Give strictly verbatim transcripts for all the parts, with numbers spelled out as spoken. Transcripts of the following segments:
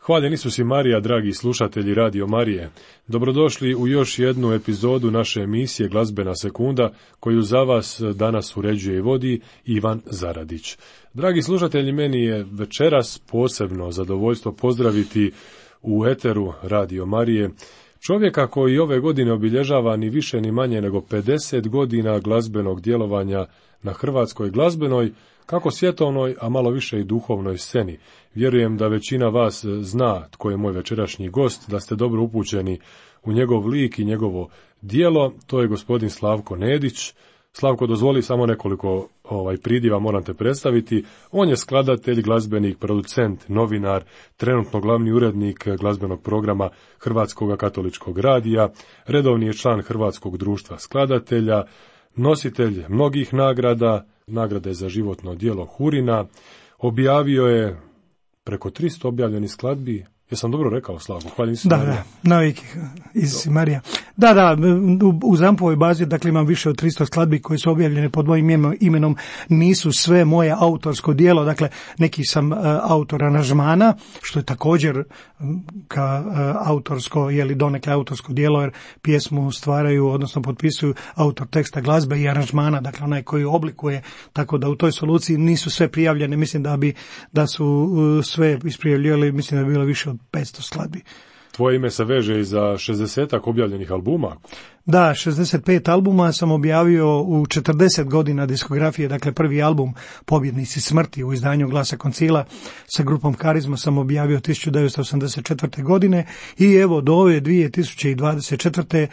Hvaljen Isus i Marija, dragi slušatelji Radio Marije. Dobrodošli u još jednu epizodu naše emisije Glazbena sekunda, koju za vas danas uređuje i vodi Ivan Zaradić. Dragi slušatelji, meni je večeras posebno zadovoljstvo pozdraviti u eteru Radio Marije čovjeka koji ove godine obilježava ni više ni manje nego pedeset godina glazbenog djelovanja na hrvatskoj glazbenoj, kako svjetovnoj, a malo više i duhovnoj sceni. Vjerujem da većina vas zna tko je moj večerašnji gost, da ste dobro upućeni u njegov lik i njegovo djelo. To je gospodin Slavko Nedić. Slavko, dozvoli samo nekoliko ovaj pridjeva, moram te predstaviti. On je skladatelj, glazbenik, producent, novinar, trenutno glavni urednik glazbenog programa Hrvatskog katoličkog radija, redovni je član Hrvatskog društva skladatelja, nositelj mnogih nagrada, nagrade za životno djelo Hurina, objavio je preko tristo objavljenih skladbi. Jesam dobro rekao, Slavko? Hvala Isus Da, Marija. da, naviki iz Marija. Da, da, u, u Zampovoj bazi, dakle, imam više od tristo skladbi koje su objavljene pod mojim imenom, nisu sve moje autorsko djelo, dakle, neki sam uh, autor aranžmana, što je također um, ka uh, autorsko, je li donekle autorsko djelo, jer pjesmu stvaraju, odnosno potpisuju autor teksta glazbe i aranžmana, dakle, onaj koji oblikuje, tako da u toj soluciji nisu sve prijavljene, mislim da bi, da su uh, sve isprijavljivali, mislim da bi bilo više od petsto skladbi. Tvoje ime se veže i za šezdesetak objavljenih albuma. Da, šezdeset pet albuma sam objavio u četrdeset godina diskografije, dakle prvi album Pobjednici smrti u izdanju Glasa koncila sa grupom Karizma sam objavio tisuću devetsto osamdeset četvrte. godine i evo do ove dvije tisuće dvadeset četvrte.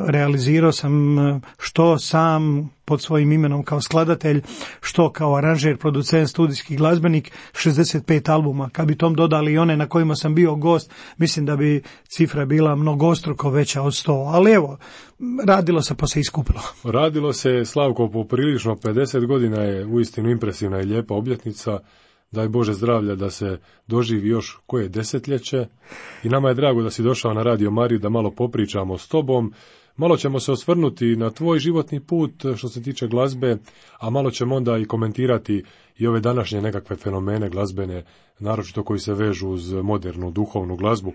realizirao sam što sam pod svojim imenom kao skladatelj, što kao aranžer, producent, studijski glazbenik, šezdeset pet albuma. Kad bi tom dodali i one na kojima sam bio gost, mislim da bi cifra bila mnogostruko veća od sto, ali evo, radilo se pa se iskupilo. Radilo se, Slavko, poprilično. Pedeset godina je uistinu impresivna i lijepa obljetnica. Daj Bože zdravlja da se doživi još koje desetljeće. I nama je drago da si došao na Radio Mariju da malo popričamo s tobom. Malo ćemo se osvrnuti na tvoj životni put što se tiče glazbe, a malo ćemo onda i komentirati i ove današnje nekakve fenomene glazbene, naročito koji se vežu uz modernu duhovnu glazbu.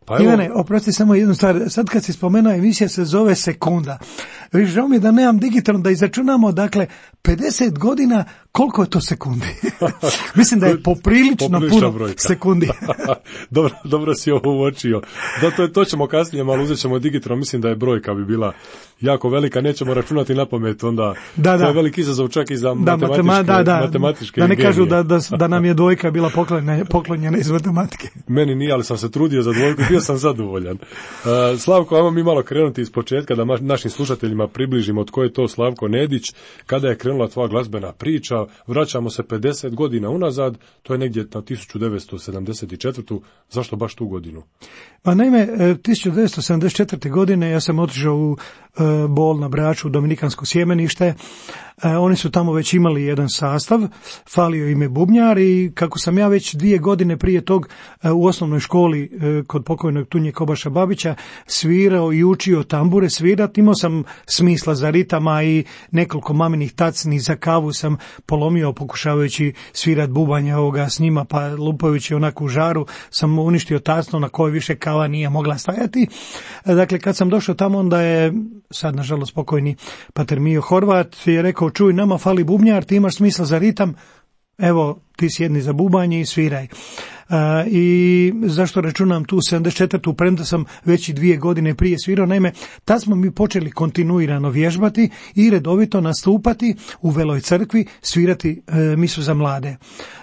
Pa evo... Ivane, oprosti samo jednu stvar. Sad kad si spomenuo, emisija se zove Sekunda. Viš, žao mi je da nemam digitalno da izračunamo, dakle, pedeset godina, koliko je to sekundi? Mislim da je poprilično puno brojka. Sekundi. dobro, dobro si ovo uočio. Da, to, to ćemo kasnije, malo uzet ćemo digitalno. Mislim da je brojka bi bila jako velika. Nećemo računati na pamet, onda da, to da. je veliki izazov čak i za da, matematičke, matema, da, da. matematičke da ne genije. kažu da, da, da nam je dvojka bila poklonjena, poklonjena iz matematike. Meni nije, ali sam se trudio za dvojku i bio sam zadovoljan. Uh, Slavko, ajmo mi malo krenuti iz početka da našim slušateljima približimo tko je to Slavko Nedić, kada je krenula tvoja glazbena priča. Vraćamo se pedeset godina unazad, to je negdje na tisuću devetsto sedamdeset četvrtu. Zašto baš tu godinu? Pa naime, tisuću devetsto sedamdeset četvrte. godine ja sam otišao u e, Bol na Braču, Dominikansko sjemenište. E, oni su tamo već imali jedan sastav, falio im je bubnjar i kako sam ja već dvije godine prije tog e, u osnovnoj školi e, kod pokojnog Tunje Kobaša Babića svirao i učio tambure svirati, imao sam smisla za ritama i nekoliko maminih tacni za kavu sam polomio pokušavajući svirati bubanje ovoga s njima, pa lupajući onako u žaru sam uništio tacnu na kojoj više kava nije mogla stajati. Dakle, kad sam došao tamo, onda je sad nažalost pokojni pater Mijo Horvat je rekao, čuj, nama fali bubnjar, ti imaš smisla za ritam, evo ti sjedni za bubanje i sviraj. Uh, i zašto računam tu sedamdeset četvrtu. premda sam već i dvije godine prije svirao, naime, tad smo mi počeli kontinuirano vježbati i redovito nastupati u Veloj crkvi, svirati uh, misu za mlade.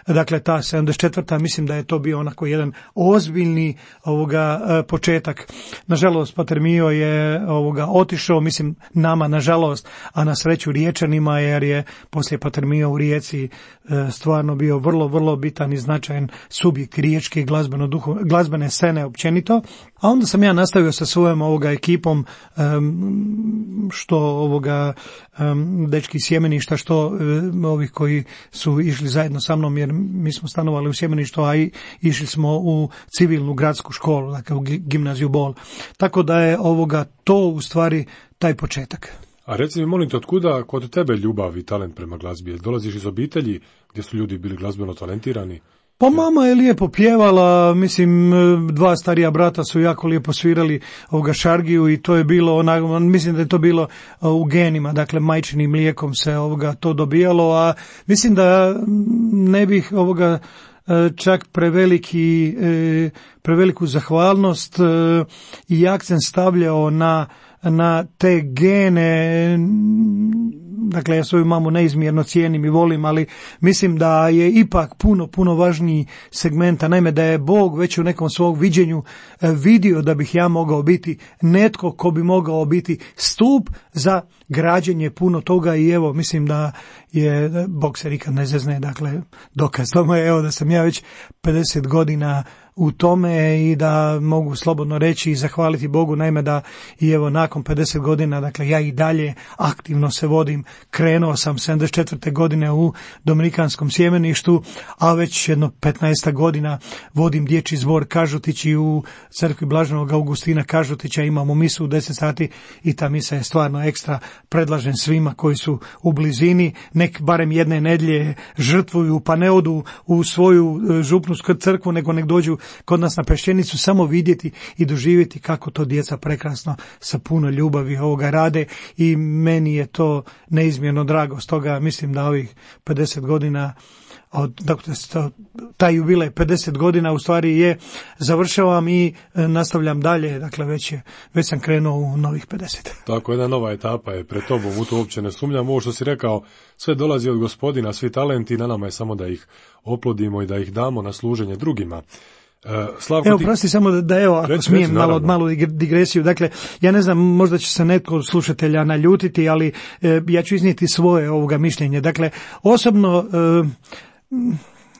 Dakle, ta sedamdeset četvrta. mislim da je to bio onako jedan ozbiljni ovoga uh, početak. Nažalost, pater Mijo je ovoga otišao, mislim nama nažalost, a na sreću Riječanima, jer je poslije pater Mijo u Rijeci uh, stvarno bio vrlo, vrlo bitan i značajan subjekt riječke glazbeno duho, glazbene scene općenito, a onda sam ja nastavio sa svojom ovoga ekipom, um, što ovoga um, dečki iz Sjemeništa, što um, ovih koji su išli zajedno sa mnom, jer mi smo stanovali u Sjemeništu, a i išli smo u civilnu gradsku školu, dakle u gimnaziju Bol. Tako da je ovoga to u stvari taj početak. A reci mi, molim te, otkuda kod tebe ljubav i talent prema glazbi? Dolaziš iz obitelji gdje su ljudi bili glazbeno talentirani? Pa mama je lijepo pjevala, mislim, dva starija brata su jako lijepo svirali ovoga šargiju i to je bilo, ona, mislim da je to bilo u genima, dakle majčinim mlijekom se ovoga to dobijalo, a mislim da ne bih ovoga čak preveliki, preveliku zahvalnost i akcent stavljao na, na te gene. Dakle, ja svoju mamu neizmjerno cijenim i volim, ali mislim da je ipak puno, puno važniji segmenta. Naime, da je Bog već u nekom svog viđenju vidio da bih ja mogao biti netko ko bi mogao biti stup za građenje puno toga i evo, mislim da je, Bog se nikad ne zezne, dakle, dokaz tome je evo da sam ja već pedeset godina u tome i da mogu slobodno reći i zahvaliti Bogu, naime da i evo nakon pedeset godina, dakle ja i dalje aktivno se vodim, krenuo sam sedamdeset četvrte godine u Dominikanskom sjemeništu, a već jedno petnaest godina vodim dječji zbor Kažutići u crkvi Blaženog Augustina Kažutića, imamo misu u deset sati i ta misa je stvarno ekstra, predlažem svima koji su u blizini, nek barem jedne nedjelje žrtvuju, pa ne odu u svoju župnu crkvu, nego nek dođu kod nas na Pešćenicu samo vidjeti i doživjeti kako to djeca prekrasno sa puno ljubavi ovoga rade i meni je to neizmjerno drago. Stoga mislim da ovih pedeset godina od, dakle, taj jubilej pedeset godina u stvari je završavam i nastavljam dalje, dakle već, je, već sam krenuo u novih pedeset. Tako, jedna nova etapa je pred tobom, u to uopće ne sumnjam. Ovo što si rekao, sve dolazi od Gospodina, svi talenti, na nama je samo da ih oplodimo i da ih damo na služenje drugima. Slavko, evo, ti... prosti samo da, da evo, ako reći, smijem reći, malo, malu digresiju, dakle, ja ne znam, možda će se netko od slušatelja naljutiti, ali e, ja ću iznijeti svoje ovoga mišljenje. Dakle, osobno, e,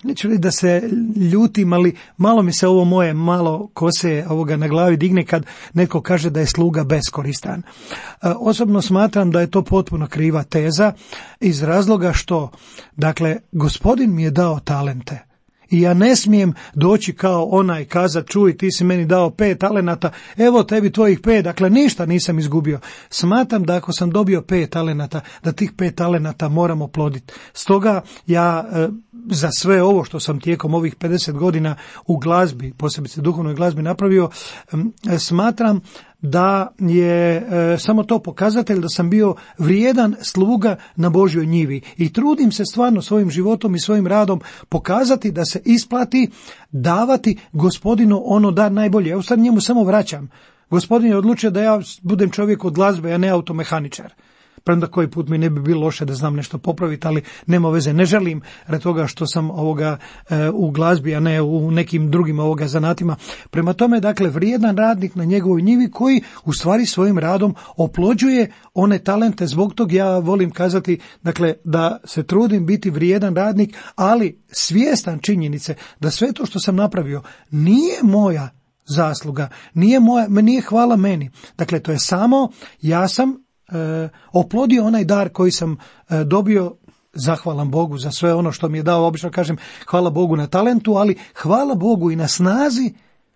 neću reći da se ljutim, ali malo mi se ovo moje malo kose ovoga na glavi digne kad netko kaže da je sluga beskoristan. E, osobno smatram da je to potpuno kriva teza iz razloga što, dakle, Gospodin mi je dao talente. I ja ne smijem doći kao onaj kazat, čuj, ti si meni dao pet talenata, evo tebi tvojih pet, dakle ništa nisam izgubio. Smatram da ako sam dobio pet talenata, da tih pet talenata moram oploditi. Stoga ja e, za sve ovo što sam tijekom ovih pedeset godina u glazbi, posebice duhovnoj glazbi napravio, e, smatram da je e, samo to pokazatelj da sam bio vrijedan sluga na Božjoj njivi i trudim se stvarno svojim životom i svojim radom pokazati da se isplati davati Gospodinu ono dar najbolje. Ja u stvari njemu samo vraćam. Gospodin je odlučio da ja budem čovjek od glazbe, a ne automehaničar. Premda koji put mi ne bi bilo loše da znam nešto popraviti, ali nema veze, ne želim radi toga što sam ovoga e, u glazbi, a ne u nekim drugim ovoga zanatima. Prema tome, dakle, vrijedan radnik na njegovoj njivi koji u stvari svojim radom oplođuje one talente. Zbog tog ja volim kazati, dakle, da se trudim biti vrijedan radnik, ali svjestan činjenice da sve to što sam napravio nije moja zasluga, nije moja, nije hvala meni. Dakle, to je samo, ja sam E, oplodio onaj dar koji sam e, dobio, zahvalan Bogu za sve ono što mi je dao, obično kažem hvala Bogu na talentu, ali hvala Bogu i na snazi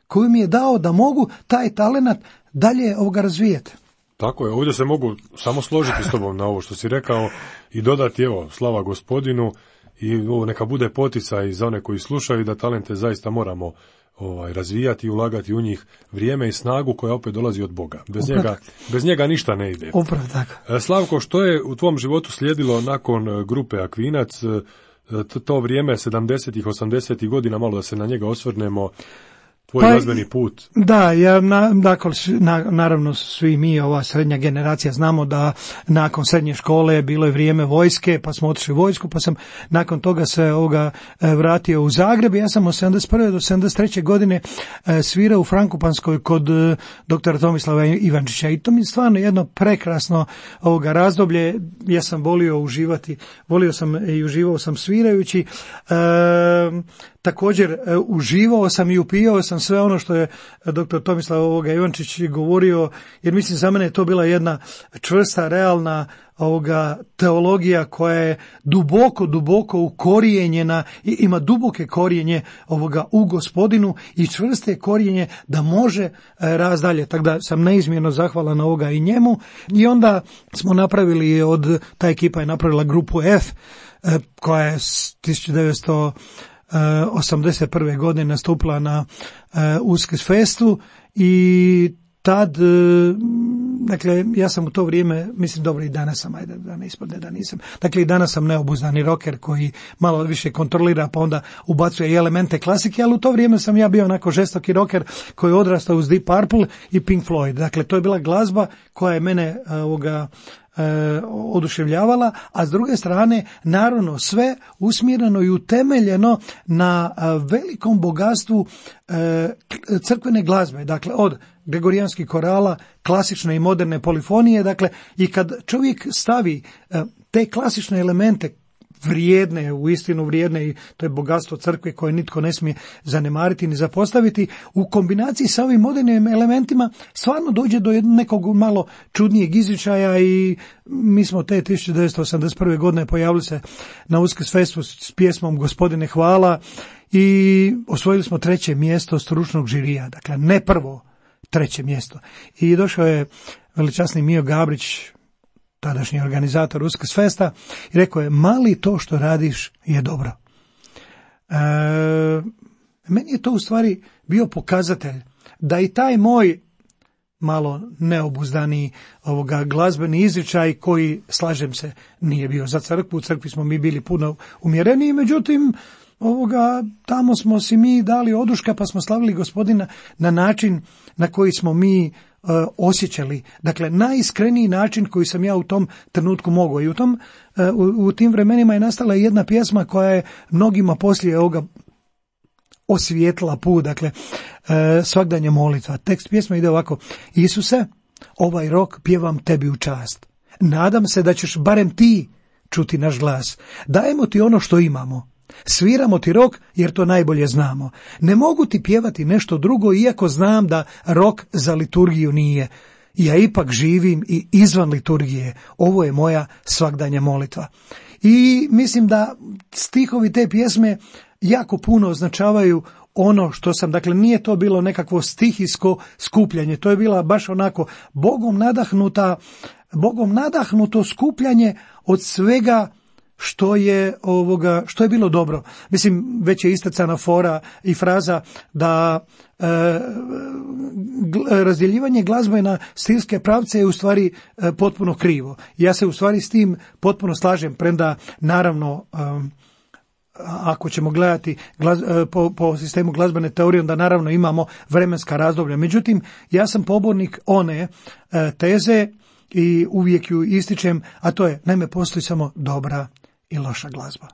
koju mi je dao da mogu taj talent dalje ovoga razvijeti. Tako je, ovdje se mogu samo složiti s tobom na ovo što si rekao i dodati, evo, slava Gospodinu i ovo neka bude poticaj za one koji slušaju da talente zaista moramo ovaj, razvijati i ulagati u njih vrijeme i snagu koja opet dolazi od Boga. Bez njega, bez njega ništa ne ide. Upravo tako. Slavko, što je u tvom životu slijedilo nakon grupe Akvinac, to vrijeme sedamdesetih, osamdesetih godina, malo da se na njega osvrnemo, tvoj pa, glazbeni put? Da, ja, na, dakle, na, naravno svi mi, ova srednja generacija, znamo da nakon srednje škole bilo je vrijeme vojske, pa smo otišli u vojsku, pa sam nakon toga se ovoga vratio u Zagreb. Ja sam od sedamdeset prve do sedamdeset treće godine svirao u Frankopanskoj kod doktora Tomislava Ivančića i to mi je stvarno jedno prekrasno ovoga razdoblje. Ja sam volio uživati, volio sam i uživao sam svirajući. E, Također e, uživao sam i upijao sam sve ono što je doktor Tomislav ovoga Ivančić govorio, jer mislim za mene je to bila jedna čvrsta, realna ovoga teologija koja je duboko, duboko ukorijenjena i ima duboke korijenje ovoga u Gospodinu i čvrste korijenje da može e, raz dalje. Tako da sam neizmjerno zahvalan ovoga i njemu. I onda smo napravili od, ta ekipa je napravila grupu F, e, koja je s tisuću devetsto osamdeset prve godine nastupila na Uskrsfestu i tad, dakle, ja sam u to vrijeme, mislim, dobro, i danas sam, ajde, da ne ispadne da nisam, dakle, i danas sam neobuzdani rocker koji malo više kontrolira, pa onda ubacuje i elemente klasike, ali u to vrijeme sam ja bio onako žestoki rocker koji je odrastao uz Deep Purple i Pink Floyd. Dakle, to je bila glazba koja je mene ovoga E, oduševljavala, a s druge strane naravno sve usmjereno i utemeljeno na a, velikom bogatstvu e, crkvene glazbe, dakle od gregorijanskih korala, klasične i moderne polifonije, dakle i kad čovjek stavi e, te klasične elemente vrijedne, u istinu vrijedne, i to je bogatstvo crkve koje nitko ne smije zanemariti ni zapostaviti, u kombinaciji sa ovim modernim elementima stvarno dođe do nekog malo čudnijeg izričaja i mi smo te tisuću devetsto osamdeset prve godine pojavili se na Uskrsfestu s pjesmom Gospodine hvala i osvojili smo treće mjesto stručnog žirija, dakle ne prvo, treće mjesto. I došao je veličasni Mio Gabrić, tadašnji organizator Uskrsfesta, i rekao je, mali to što radiš je dobro. E, meni je to u stvari bio pokazatelj da i taj moj malo neobuzdani ovoga glazbeni izričaj koji, slažem se, nije bio za crkvu, u crkvi smo mi bili puno umjereniji, međutim, ovoga, tamo smo si mi dali oduška pa smo slavili Gospodina na način na koji smo mi uh, osjećali. Dakle, najiskreniji način koji sam ja u tom trenutku mogao. I u, tom, uh, u, u tim vremenima je nastala jedna pjesma koja je mnogima poslije ovoga osvijetlila put, dakle, uh, svagdanje molitva. Tekst pjesme ide ovako: Isuse, ovaj rok pjevam tebi u čast. Nadam se da ćeš barem ti čuti naš glas. Dajemo ti ono što imamo. Sviramo ti rok jer to najbolje znamo. Ne mogu ti pjevati nešto drugo iako znam da rok za liturgiju nije. Ja ipak živim i izvan liturgije. Ovo je moja svagdanja molitva. I mislim da stihovi te pjesme jako puno označavaju ono što sam, dakle nije to bilo nekakvo stihijsko skupljanje, to je bila baš onako Bogom nadahnuta, Bogom nadahnuto skupljanje od svega što je ovoga, što je bilo dobro. Mislim, već je istacana fora i fraza da e, razdjeljivanje glazbe na stilske pravce je u stvari e, potpuno krivo. Ja se u stvari s tim potpuno slažem, premda naravno e, ako ćemo gledati glaz, po, po sistemu glazbene teorije, onda naravno imamo vremenska razdoblja. Međutim, ja sam pobornik one e, teze i uvijek ju ističem, a to je, naime, postoji samo dobra i loša glazba.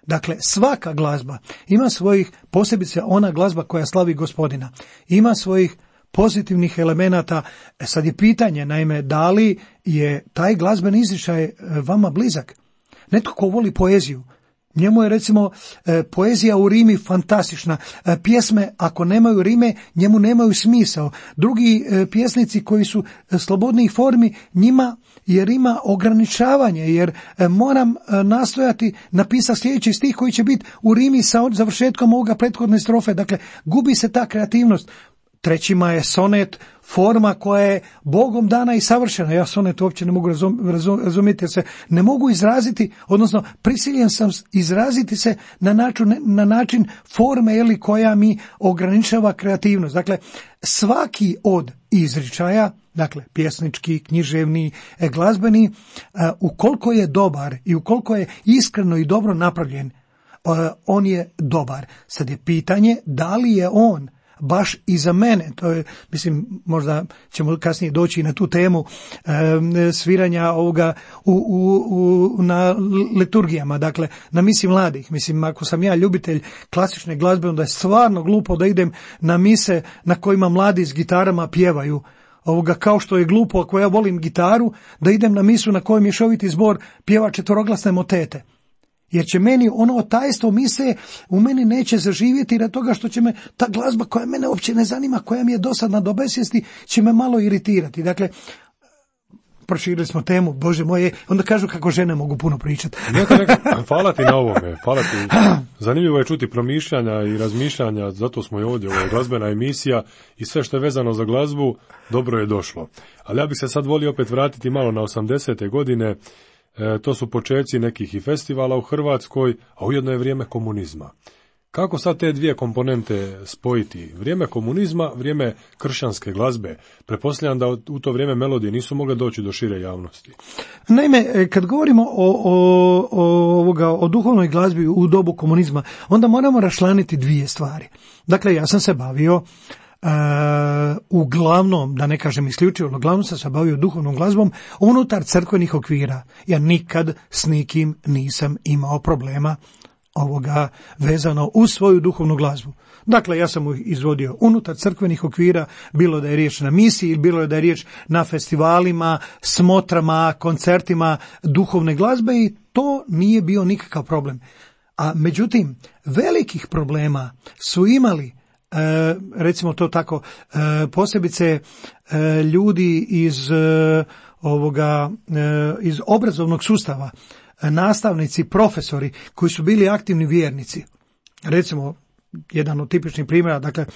Dakle, svaka glazba ima svojih, posebice ona glazba koja slavi Gospodina, ima svojih pozitivnih elemenata. E sad je pitanje, naime, da li je taj glazbeni izričaj vama blizak? Netko ko voli poeziju, njemu je recimo e, poezija u rimi fantastična. E, pjesme ako nemaju rime, njemu nemaju smisao. Drugi e, pjesnici koji su e, slobodnijih formi, njima je rima ograničavanje, jer e, moram e, nastojati napisati sljedeći stih koji će biti u rimi sa završetkom ovoga prethodne strofe. Dakle, gubi se ta kreativnost. Trećima je sonet forma koja je Bogom dana i savršena. Ja sonet uopće ne mogu razum, razum, razumjeti, jer se ne mogu izraziti, odnosno prisiljen sam izraziti se na način, na način forme ili koja mi ograničava kreativnost. Dakle, svaki od izričaja, dakle pjesnički, književni, glazbeni, ukoliko je dobar i ukoliko je iskreno i dobro napravljen, on je dobar. Sad je pitanje da li je on baš i za mene, to je, mislim, možda ćemo kasnije doći na tu temu e, sviranja ovoga u, u, u, na liturgijama, dakle, na misi mladih. Mislim, ako sam ja ljubitelj klasične glazbe, onda je stvarno glupo da idem na mise na kojima mladi s gitarama pjevaju. Ovoga, kao što je glupo, ako ja volim gitaru, da idem na misu na kojoj mješoviti zbor pjeva četveroglasne motete. Jer će meni ono tajstvo mise u meni neće zaživjeti radi toga što će me ta glazba koja mene uopće ne zanima, koja mi je dosadna do besvijesti, će me malo iritirati. Dakle, proširili smo temu, Bože moje, onda kažu kako žene mogu puno pričati. Neka, neka, hvala ti na ovome, hvala ti. Zanimljivo je čuti promišljanja i razmišljanja, zato smo i ovdje, ovo je glazbena emisija i sve što je vezano za glazbu, dobro je došlo. Ali ja bih se sad volio opet vratiti malo na osamdesete godine. E, to su počeci nekih i festivala u Hrvatskoj, a ujedno je vrijeme komunizma. Kako sad te dvije komponente spojiti? Vrijeme komunizma, vrijeme kršćanske glazbe. Pretpostavljam da u to vrijeme melodije nisu mogle doći do šire javnosti. Naime, kad govorimo o, o, o, ovoga, o duhovnoj glazbi u dobu komunizma, onda moramo raščlaniti dvije stvari. Dakle, ja sam se bavio Uh, uglavnom, da ne kažem isključivo, uglavnom sam se bavio duhovnom glazbom unutar crkvenih okvira. Ja nikad s nikim nisam imao problema ovoga vezano uz svoju duhovnu glazbu. Dakle, ja sam izvodio unutar crkvenih okvira, bilo da je riječ na misiji, bilo da je riječ na festivalima, smotrama, koncertima duhovne glazbe i to nije bio nikakav problem. A međutim, velikih problema su imali E, recimo to tako, e, posebice e, ljudi iz e, ovoga e, iz obrazovnog sustava, e, nastavnici, profesori koji su bili aktivni vjernici. Recimo, jedan od tipičnih primjera, dakle,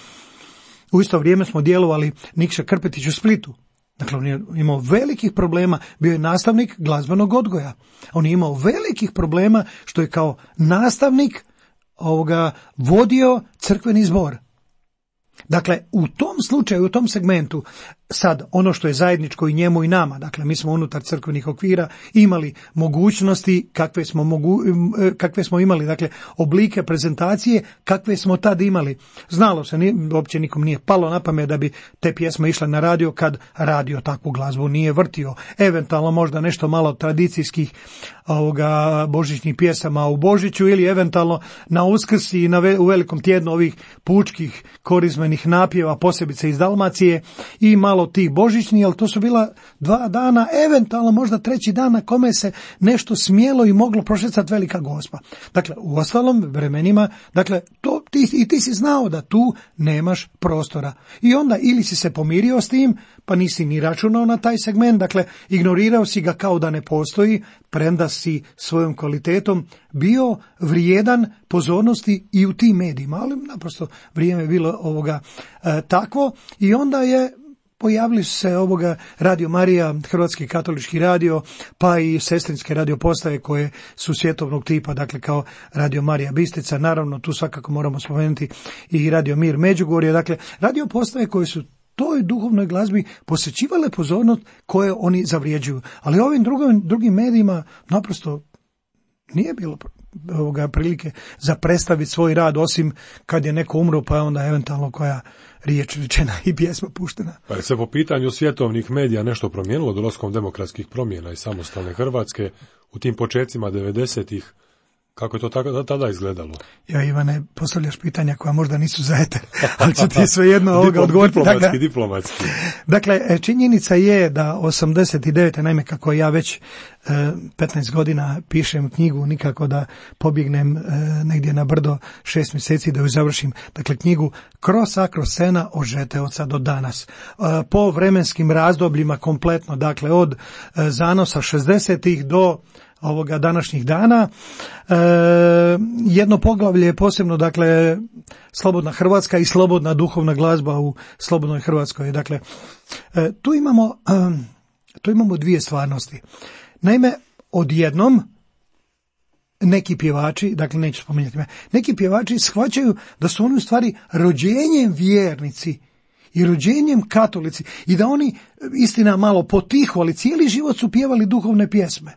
u isto vrijeme smo djelovali Nikša Krpetić u Splitu. Dakle, on je imao velikih problema, bio je nastavnik glazbenog odgoja. On je imao velikih problema što je kao nastavnik ovoga vodio crkveni zbor. Dakle, u tom slučaju, u tom segmentu, sad ono što je zajedničko i njemu i nama, dakle mi smo unutar crkvenih okvira imali mogućnosti kakve smo, mogu, kakve smo imali, dakle oblike prezentacije kakve smo tad imali. Znalo se, nije, uopće nikom nije palo na pamet da bi te pjesme išle na radio kad radio takvu glazbu nije vrtio. Eventualno možda nešto malo tradicijskih ovoga božićnih pjesama u Božiću ili eventualno na Uskrs i na ve, u velikom tjednu ovih pučkih korizmenih napjeva, posebice iz Dalmacije i malo tih božićni, ali to su bila dva dana, eventualno možda treći dan na kome se nešto smjelo i moglo prošecati velika gospa. Dakle, u ostalom vremenima, dakle, to, ti, i ti si znao da tu nemaš prostora. I onda ili si se pomirio s tim, pa nisi ni računao na taj segment, dakle, ignorirao si ga kao da ne postoji, premda si svojom kvalitetom bio vrijedan pozornosti i u tim medijima, ali naprosto vrijeme je bilo ovoga e, takvo i onda je pojavili su se ovoga Radio Marija, Hrvatski katolički radio, pa i sestrinske radio postaje koje su svjetovnog tipa, dakle kao Radio Marija Bistrica, naravno tu svakako moramo spomenuti i Radio Mir Međugorje, dakle radio postaje koje su toj duhovnoj glazbi posvećivale pozornost koje oni zavrijeđuju. Ali ovim drugim, drugim medijima naprosto nije bilo ovoga prilike za predstaviti svoj rad, osim kad je neko umro, pa je onda eventualno koja riječ rečena i pjesma puštena. Pa je se po pitanju svjetovnih medija nešto promijenilo dolaskom demokratskih promjena i samostalne Hrvatske u tim početcima devedesetih? Kako je to tada, tada izgledalo? Ja, Ivane, postavljaš pitanja koja možda nisu za eter, ali ću ti svejedno ovoga odgovoriti. Diplomatski, dakle, diplomatski. Dakle, činjenica je da osamdeset devete naime kako ja već e, petnaest godina pišem knjigu, nikako da pobjegnem e, negdje na brdo šest mjeseci da ju završim. Dakle, knjigu Kroz akro scena od Žeteoca do danas. E, po vremenskim razdobljima kompletno, dakle, od e, zanosa šezdesetih do ovoga današnjih dana. E, jedno poglavlje je posebno, dakle, slobodna Hrvatska i slobodna duhovna glazba u slobodnoj Hrvatskoj. Dakle, e, tu imamo, e, tu imamo dvije stvarnosti. Naime, odjednom neki pjevači, dakle neću spominjati me, neki pjevači shvaćaju da su oni u stvari rođenjem vjernici i rođenjem katolici i da oni, istina malo potiho, ali cijeli život su pjevali duhovne pjesme.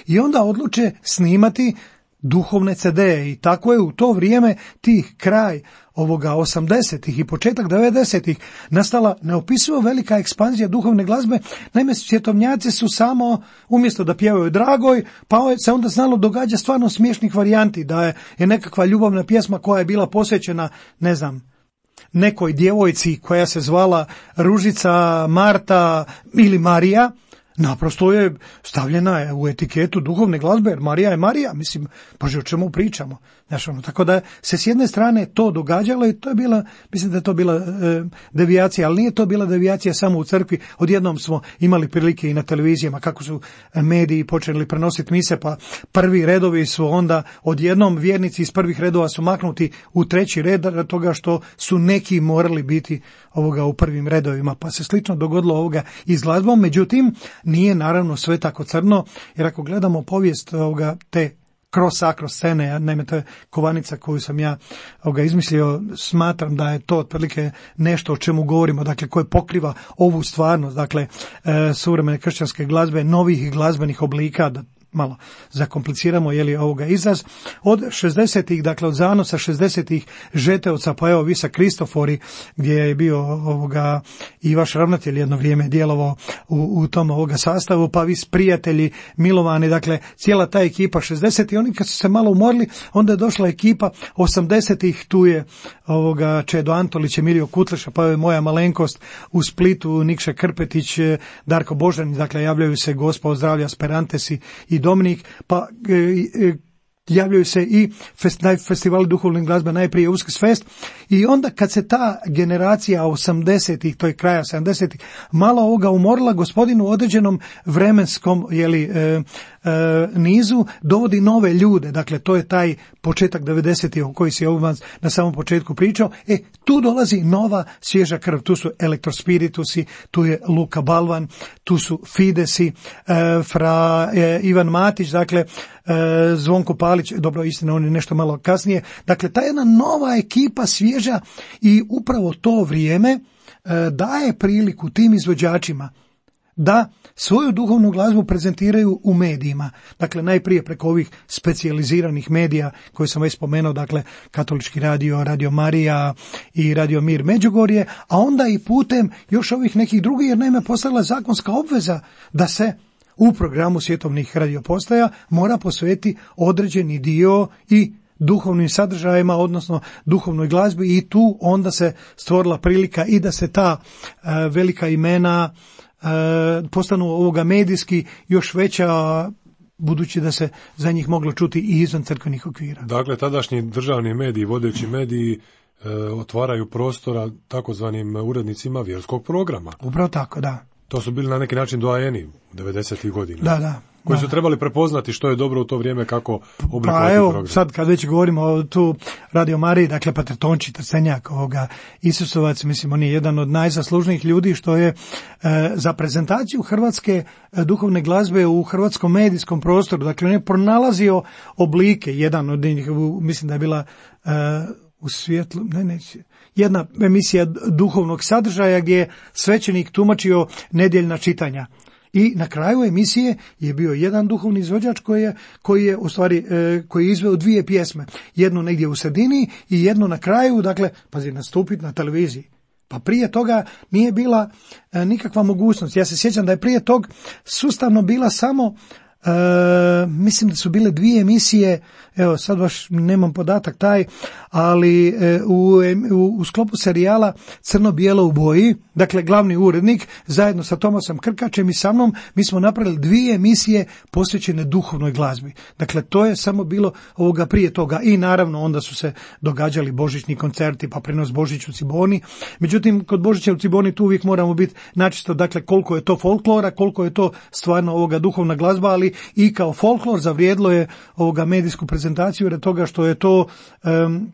I onda odluče snimati duhovne ce de i tako je u to vrijeme tih kraj ovoga osamdesetih i početak devedesetih nastala neopisivo velika ekspanzija duhovne glazbe. Naime, svjetovnjaci su samo, umjesto da pjevaju Dragoj, pa se onda znalo događa stvarno smiješnih varijanti, da je, je nekakva ljubavna pjesma koja je bila posvećena, ne znam, nekoj djevojci koja se zvala Ružica, Marta ili Marija, naprosto je stavljena u etiketu duhovne glazbe, jer Marija je Marija, mislim, bože, o čemu pričamo. Znaš, ono, tako da se s jedne strane to događalo i to je bila, mislim da je to bila e, devijacija, ali nije to bila devijacija samo u crkvi. Odjednom smo imali prilike i na televizijama kako su mediji počeli prenositi mise, pa prvi redovi su onda odjednom vjernici iz prvih redova su maknuti u treći red toga što su neki morali biti ovoga u prvim redovima, pa se slično dogodilo ovoga i s glazbom. Međutim, nije naravno sve tako crno, jer ako gledamo povijest ovoga, te kroz akro scene, naime to je kovanica koju sam ja ovoga, izmislio, smatram da je to otprilike nešto o čemu govorimo, dakle koje pokriva ovu stvarnost, dakle e, suvremene kršćanske glazbe, novih glazbenih oblika, da malo zakompliciramo je li ovoga izraz, od šezdesetih, dakle od zanosa šezdesetih Žeteovca, pa evo Visa Kristofori, gdje je bio ovoga i vaš ravnatelj jedno vrijeme djelovao u, u tom ovoga sastavu, pa Vis prijatelji, Milovani, dakle cijela ta ekipa šezdesetih, oni kad su se malo umorili, onda je došla ekipa osamdesetih, tu je ovoga Čedo Antolić, Emilio Kutleša, pa je moja malenkost u Splitu, Nikša Krpetić, Darko Božanić, dakle javljaju se Gospa ozdravlja, Sperantesi i Dominik, pa e, e, javljaju se i fest, festivali duhovne glazbe, najprije Uskrs Fest, i onda kad se ta generacija osamdesetih, to je kraja sedamdesetih, malo ovoga umorila, gospodinu u određenom vremenskom jeli, e, e, nizu dovodi nove ljude, dakle to je taj početak devedesetih o koji si ovdje na samom početku pričao, e tu dolazi nova svježa krv, tu su Elektrospiritusi, tu je Luka Balvan, tu su Fidesi, e, fra e, Ivan Matić, dakle e, Zvonko Palić, dobro istina on je nešto malo kasnije, dakle ta jedna nova ekipa svježa, i upravo to vrijeme e, daje priliku tim izvođačima da svoju duhovnu glazbu prezentiraju u medijima. Dakle, najprije preko ovih specijaliziranih medija koje sam već spomenuo, dakle, Katolički radio, Radio Marija i Radio Mir Međugorje, a onda i putem još ovih nekih drugih, jer naime postala zakonska obveza da se u programu svjetovnih radiopostaja mora posvetiti određeni dio i duhovnim sadržajima, odnosno duhovnoj glazbi, i tu onda se stvorila prilika i da se ta uh, velika imena uh, postanu ovoga medijski još veća, budući da se za njih moglo čuti i izvan crkvenih okvira. Dakle, tadašnji državni mediji, vodeći mediji, e, otvaraju prostora takozvanim urednicima vjerskog programa. Upravo tako, da. To su bili na neki način doajeni devedesetih godina. Da, da. Koji da. su trebali prepoznati što je dobro u to vrijeme, kako oblikovati pa, evo, program. Sad kad već govorimo o tu Radio Mariji, dakle Pater Tonči Trstenjak, ovoga Isusovac, mislim on je jedan od najzaslužnijih ljudi što je e, za prezentaciju hrvatske e, duhovne glazbe u hrvatskom medijskom prostoru, dakle on je pronalazio oblike, jedan od njih, mislim da je bila e, u svjetlu, ne, ne, jedna emisija duhovnog sadržaja gdje je svećenik tumačio nedjeljna čitanja. I na kraju emisije je bio jedan duhovni izvođač koji je, koji je u stvari e, koji je izveo dvije pjesme, jednu negdje u sredini i jednu na kraju, dakle, pazi, nastupiti na televiziji. Pa prije toga nije bila e, nikakva mogućnost. Ja se sjećam da je prije tog sustavno bila samo E, mislim da su bile dvije emisije, evo sad baš nemam podatak taj, ali e, u, u, u sklopu serijala Crno-bijelo u boji, dakle glavni urednik zajedno sa Tomasom Krkačem i sa mnom, mi smo napravili dvije emisije posvećene duhovnoj glazbi. Dakle to je samo bilo ovoga prije toga, i naravno onda su se događali božićni koncerti, pa prenos Božić u Ciboni. Međutim, kod Božića u Ciboni tu uvijek moramo biti načisto, dakle koliko je to folklora, koliko je to stvarno ovoga duhovna glazba, ali i kao folklor zavrijedilo je ovoga medijsku prezentaciju jer toga što je to um, um,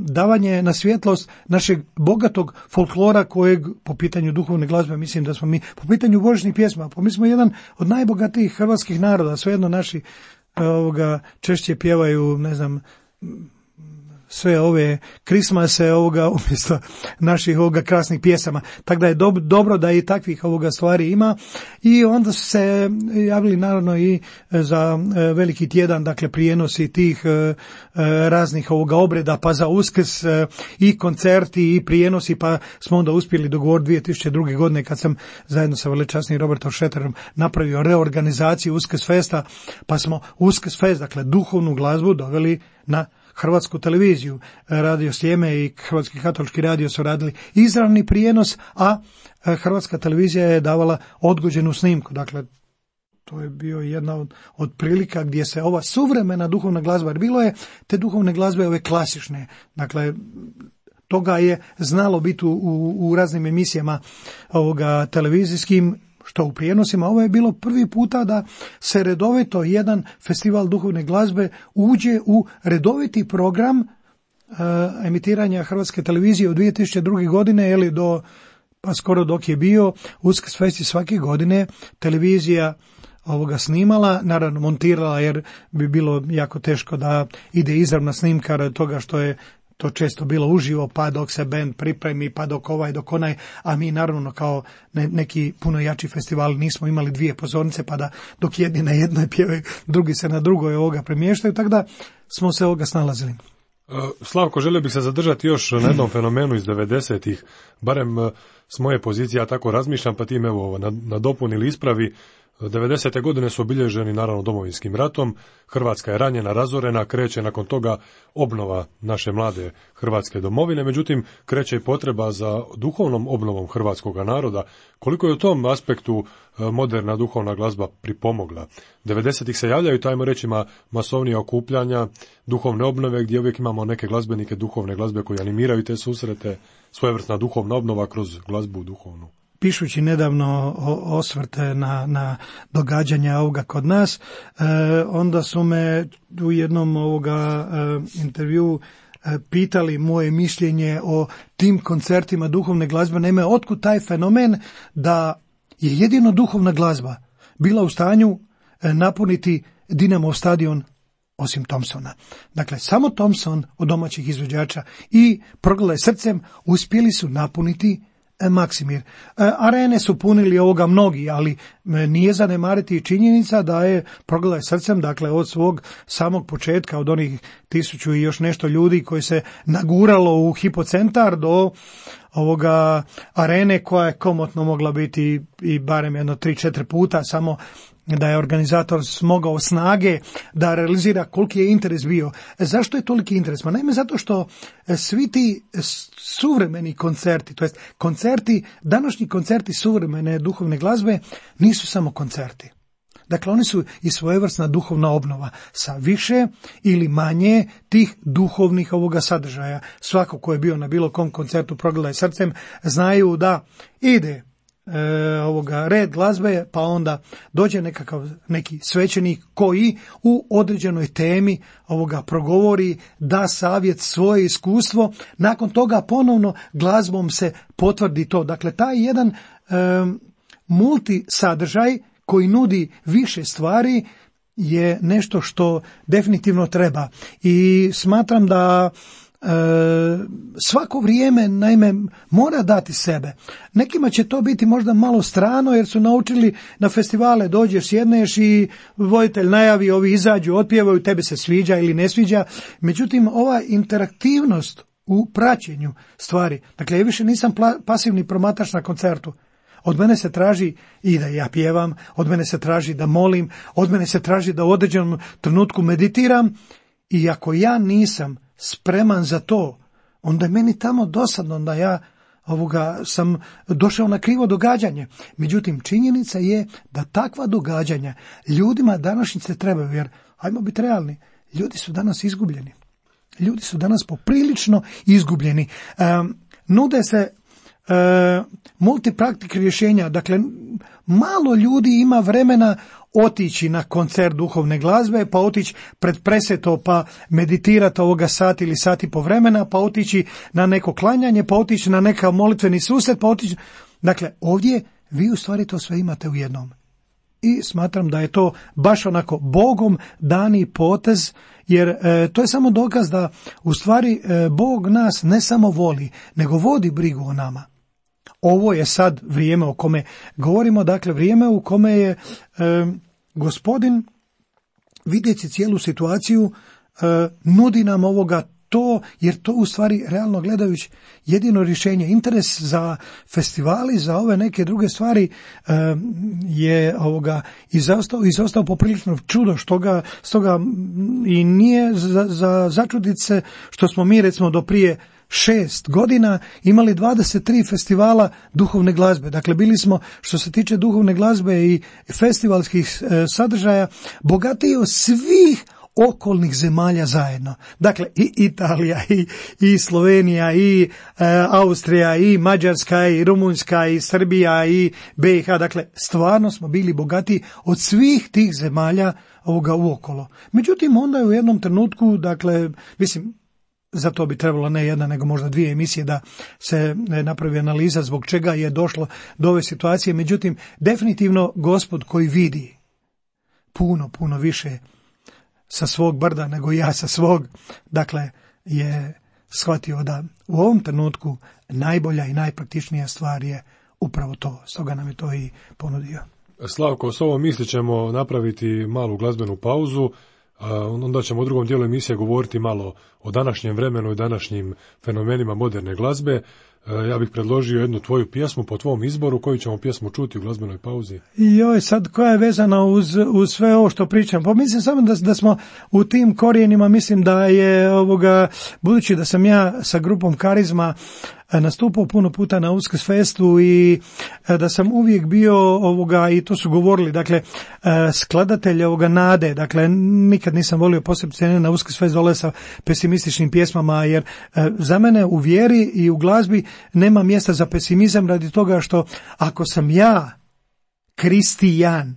davanje na svjetlost našeg bogatog folklora kojeg po pitanju duhovne glazbe mislim da smo mi, po pitanju božićnih pjesma, pa mi smo jedan od najbogatijih hrvatskih naroda, svejedno naši ovoga češće pjevaju, ne znam, sve ove krismase ovoga umjesto naših ovoga krasnih pjesama. Tako da je dob, dobro da i takvih ovoga stvari ima. I onda su se javili naravno i za veliki tjedan, dakle prijenosi tih raznih ovoga obreda, pa za Uskrs i koncerti i prijenosi, pa smo onda uspjeli dogovoriti dvije tisuće druge. godine kad sam zajedno sa velečasnim Robertom Šeterom napravio reorganizaciju Uskrs Festa, pa smo Uskrs Fest, dakle duhovnu glazbu doveli na Hrvatsku televiziju. Radio Sljeme i Hrvatski katolički radio su radili izravni prijenos, a Hrvatska televizija je davala odgođenu snimku. Dakle, to je bio jedna od, od prilika gdje se ova suvremena duhovna glazba, jer bilo je te duhovne glazbe ove klasične, dakle, toga je znalo biti u, u, u raznim emisijama ovoga televizijskim, što u prijenosima. Ovo je bilo prvi puta da se redovito jedan festival duhovne glazbe uđe u redoviti program uh, emitiranja Hrvatske televizije od dvije tisuće druge. godine ili do pa skoro dok je bio Uskrs festi svake godine, televizija ovoga snimala, naravno montirala jer bi bilo jako teško da ide izravna snimka radi toga što je to često bilo uživo, pa dok se band pripremi, pa dok ovaj, dok onaj, a mi naravno kao ne, neki puno jači festivali nismo imali dvije pozornice, pa da dok jedni na jednoj pjevaju, drugi se na drugoj ovoga premještaju, tako da smo se ovoga snalazili. Slavko, želio bih se zadržati još na jednom fenomenu iz devedesetih, barem s moje pozicije, ja tako razmišljam, pa tim evo nadopuni ili ispravi. devedesete godine su obilježeni naravno Domovinskim ratom, Hrvatska je ranjena, razorena, kreće nakon toga obnova naše mlade Hrvatske domovine, međutim kreće i potreba za duhovnom obnovom hrvatskog naroda. Koliko je u tom aspektu moderna duhovna glazba pripomogla? devedesetih se javljaju, tajmo reći, masovnija okupljanja, duhovne obnove, gdje uvijek imamo neke glazbenike duhovne glazbe koji animiraju te susrete, svojevrsna duhovna obnova kroz glazbu duhovnu. Pišući nedavno osvrte na, na događanja ovoga kod nas, e, onda su me u jednom ovoga e, intervju e, pitali moje mišljenje o tim koncertima duhovne glazbe. Naime, otkud taj fenomen da je jedino duhovna glazba bila u stanju e, napuniti Dinamov stadion osim Thompsona. Dakle, samo Thompson od domaćih izvođača i Progledaj srcem uspjeli su napuniti Maksimir. Arene su punili ovoga mnogi, ali nije zanemariti činjenica da je Progledaj srcem, dakle od svog samog početka, od onih tisuću i još nešto ljudi koji se naguralo u hipocentar do ovoga arene koja je komotno mogla biti i barem jedno tri, četiri puta, samo da je organizator smogao snage da realizira koliki je interes bio. Zašto je toliki interes? Ma naime, zato što svi ti suvremeni koncerti, to jest koncerti, današnji koncerti suvremene duhovne glazbe nisu samo koncerti. Dakle, oni su i svojevrsna duhovna obnova sa više ili manje tih duhovnih ovoga sadržaja. Svako ko je bio na bilo kom koncertu Progledaj srcem znaju da ide E, ovoga red glazbe, pa onda dođe nekakav neki svećenik koji u određenoj temi ovoga progovori, da savjet, svoje iskustvo, nakon toga ponovno glazbom se potvrdi to. Dakle, taj jedan e, multi sadržaj koji nudi više stvari je nešto što definitivno treba i smatram da E, svako vrijeme naime mora dati sebe. Nekima će to biti možda malo strano jer su naučili na festivale dođeš, sjedneš i voditelj najavi, ovi izađu, otpjevaju, tebi se sviđa ili ne sviđa. Međutim, ova interaktivnost u praćenju stvari, dakle ja više nisam pla- pasivni promatrač na koncertu. Od mene se traži i da ja pjevam, od mene se traži da molim, od mene se traži da u određenom trenutku meditiram i ako ja nisam spreman za to, onda je meni tamo dosadno da ja ovoga sam došao na krivo događanje. Međutim, činjenica je da takva događanja ljudima današnjice trebaju, jer, hajmo biti realni, ljudi su danas izgubljeni. Ljudi su danas poprilično izgubljeni. E, nude se e, multipraktik rješenja, dakle, malo ljudi ima vremena otići na koncert duhovne glazbe, pa otići pred preseto, pa meditirati ovoga sat ili sat i po vremena, pa otići na neko klanjanje, pa otići na neka molitveni susret, pa otići... Dakle, ovdje vi u stvari to sve imate u jednom. I smatram da je to baš onako Bogom dani potez, jer e, to je samo dokaz da u stvari e, Bog nas ne samo voli, nego vodi brigu o nama. Ovo je sad vrijeme o kome govorimo, dakle vrijeme u kome je e, Gospodin, vidjeći cijelu situaciju, e, nudi nam ovoga to, jer to u stvari realno gledajući jedino rješenje. Interes za festivali, za ove neke druge stvari e, je ovoga izostao, izostao poprilično čudo, što ga, stoga i nije za, za začuditi se što smo mi recimo do prije šest godina imali dvadeset tri festivala duhovne glazbe. Dakle, bili smo, što se tiče duhovne glazbe i festivalskih e, sadržaja, bogatiji od svih okolnih zemalja zajedno. Dakle, i Italija, i, i Slovenija, i e, Austrija, i Mađarska, i Rumunjska, i Srbija, i B i H. Dakle, stvarno smo bili bogati od svih tih zemalja ovoga uokolo. Međutim, onda je u jednom trenutku, dakle, mislim, za to bi trebalo ne jedna, nego možda dvije emisije da se napravi analiza zbog čega je došlo do ove situacije. Međutim, definitivno Gospod koji vidi puno, puno više sa svog brda nego ja sa svog, dakle, je shvatio da u ovom trenutku najbolja i najpraktičnija stvar je upravo to. Stoga nam je to i ponudio. Slavko, s ovom misli ćemo napraviti malu glazbenu pauzu, a onda ćemo u drugom dijelu emisije govoriti malo o današnjem vremenu i današnjim fenomenima moderne glazbe. Ja bih predložio jednu tvoju pjesmu po tvom izboru, koju ćemo pjesmu čuti u glazbenoj pauzi. Joj, sad koja je vezana uz, uz sve ovo što pričam? Pa mislim samo da, da smo u tim korijenima, mislim da je ovoga, budući da sam ja sa grupom Karizma nastupao puno puta na Uskrsfestu i da sam uvijek bio ovoga, i to su govorili, dakle, skladatelj ovoga nade, dakle, nikad nisam volio posebno na Uskrsfest dole sa pesimističnim pjesmama, jer za mene u vjeri i u glazbi nema mjesta za pesimizam radi toga što ako sam ja kristijan,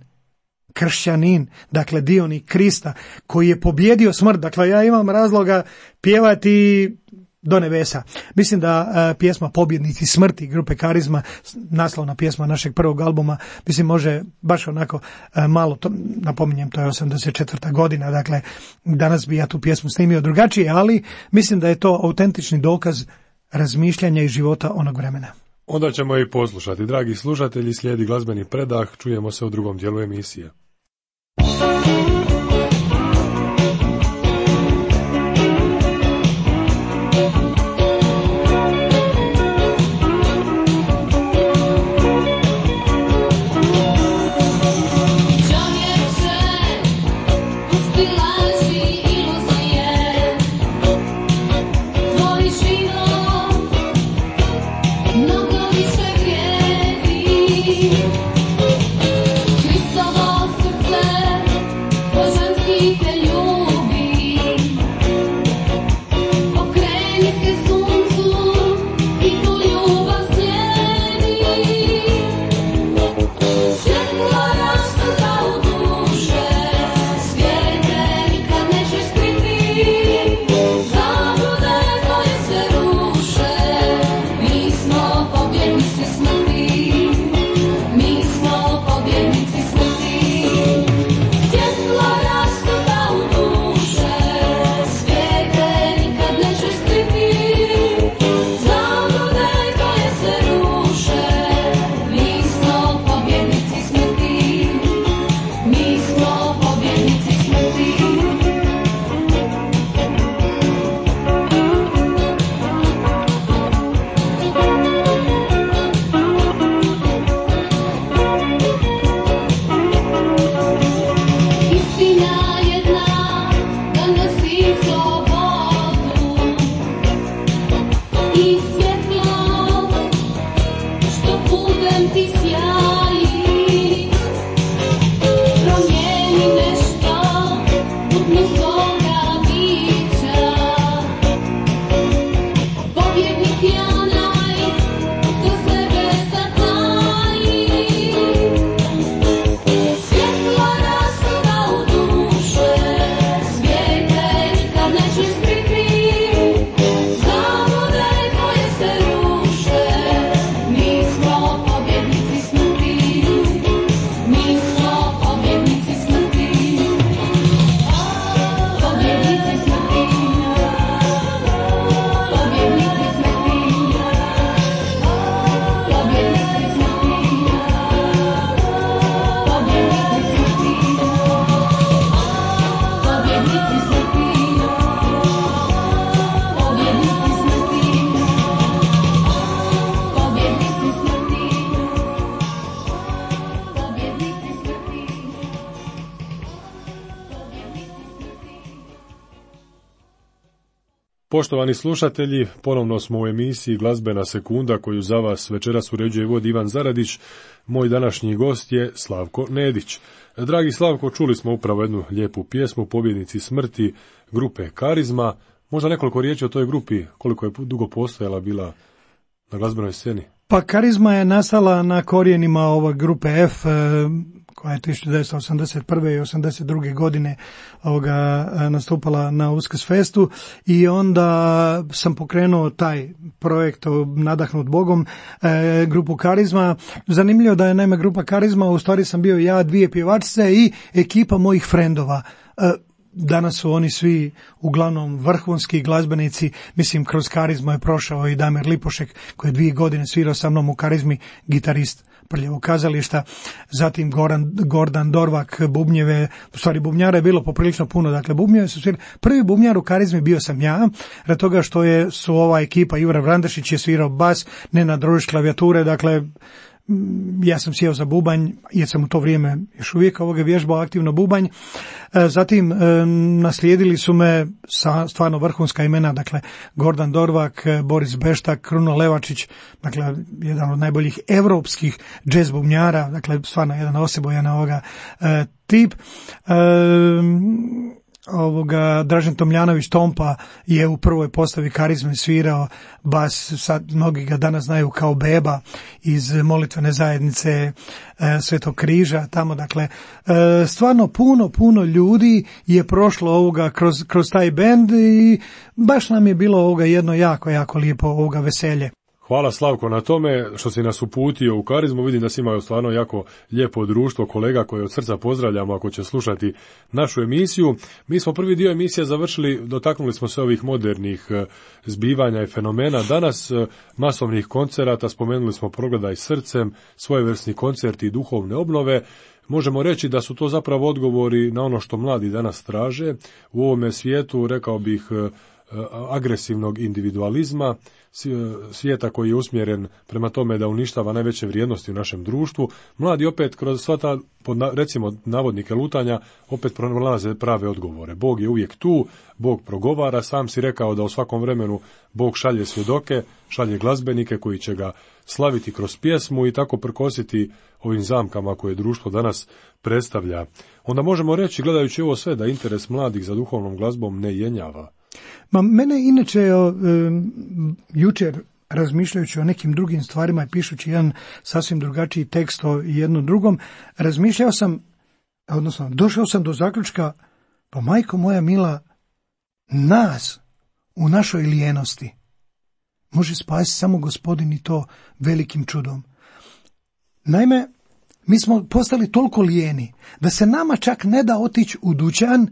kršćanin, dakle dionik Krista, koji je pobjedio smrt, dakle ja imam razloga pjevati do nebesa. Mislim da uh, pjesma Pobjednici smrti grupe Karizma, naslovna pjesma našeg prvog albuma, mislim može baš onako uh, malo, to, napominjem, to je osamdeset četvrta godina, dakle danas bi ja tu pjesmu snimio drugačije, ali mislim da je to autentični dokaz razmišljanja i života onog vremena. Onda ćemo i poslušati. Dragi slušatelji, slijedi glazbeni predah, čujemo se u drugom dijelu emisije. Poštovani slušatelji, ponovno smo u emisiji Glazbena sekunda koju za vas večeras uređuje i vodi Ivan Zaradić. Moj današnji gost je Slavko Nedić. Dragi Slavko, čuli smo upravo jednu lijepu pjesmu, Pobjednici smrti grupe Karizma. Možda nekoliko riječi o toj grupi, koliko je dugo postojala bila na glazbenoj sceni? Pa Karizma je nastala na korijenima ove grupe F, koja je tisuću devetsto osamdeset prve i osamdeset druge godine ovoga, nastupala na Uskrsfestu i onda sam pokrenuo taj projekt nadahnut Bogom, e, grupu Karizma. Zanimljivo da je naime grupa Karizma, u stvari sam bio ja, dvije pjevačice i ekipa mojih frendova. E, Danas su oni svi uglavnom vrhunski glazbenici, mislim kroz Karizmu je prošao i Damir Lipošek koji je dvije godine svirao sa mnom u Karizmi, gitarist Prljavog kazališta, zatim Goran, Gordan Dorvak, bubnjeve, u stvari bubnjara je bilo poprilično puno, dakle bubnjeve su svirali. Prvi bubnjar u Karizmi bio sam ja, radi toga što je su ova ekipa, Jura Vrandešić je svirao bas, Nenad Rožić klavijature, dakle ja sam sjeo za bubanj, jer sam u to vrijeme još uvijek ovoga vježbao aktivno bubanj. Zatim naslijedili su me stvarno vrhunska imena, dakle Gordan Dorvak, Boris Beštak, Kruno Levačić, dakle jedan od najboljih europskih džez bubnjara, dakle stvarno jedan osebojan ovoga tip. Ovoga, Dražen Tomljanović Tompa je u prvoj postavi Karizme svirao bas, sad mnogi ga danas znaju kao Beba iz molitvene zajednice e, Svetog križa tamo, dakle e, stvarno puno puno ljudi je prošlo ovoga kroz, kroz taj bend i baš nam je bilo ovoga jedno jako jako lijepo ovoga veselje. Hvala Slavko na tome što si nas uputio u Karizmu. Vidim da si imao stvarno jako lijepo društvo kolega koje od srca pozdravljamo ako će slušati našu emisiju. Mi smo prvi dio emisije završili, dotaknuli smo se ovih modernih zbivanja i fenomena. Danas masovnih koncerata, spomenuli smo Progledaj srcem, svojevrsni koncerti i duhovne obnove. Možemo reći da su to zapravo odgovori na ono što mladi danas traže. U ovome svijetu, rekao bih, agresivnog individualizma, svijeta koji je usmjeren prema tome da uništava najveće vrijednosti u našem društvu. Mladi opet kroz sva ta, recimo, navodnike lutanja, opet pronalaze prave odgovore. Bog je uvijek tu, Bog progovara, sam si rekao da u svakom vremenu Bog šalje svjedoke, šalje glazbenike koji će ga slaviti kroz pjesmu i tako prkositi ovim zamkama koje društvo danas predstavlja. Onda možemo reći, gledajući ovo sve, da interes mladih za duhovnom glazbom ne jenjava. Ma mene inače e, jučer razmišljajući o nekim drugim stvarima i pišući jedan sasvim drugačiji tekst o jednom drugom, razmišljao sam, odnosno došao sam do zaključka, pa majko moja mila, nas u našoj lijenosti može spasiti samo Gospodin i to velikim čudom. Naime, mi smo postali toliko lijeni da se nama čak ne da otići u dućan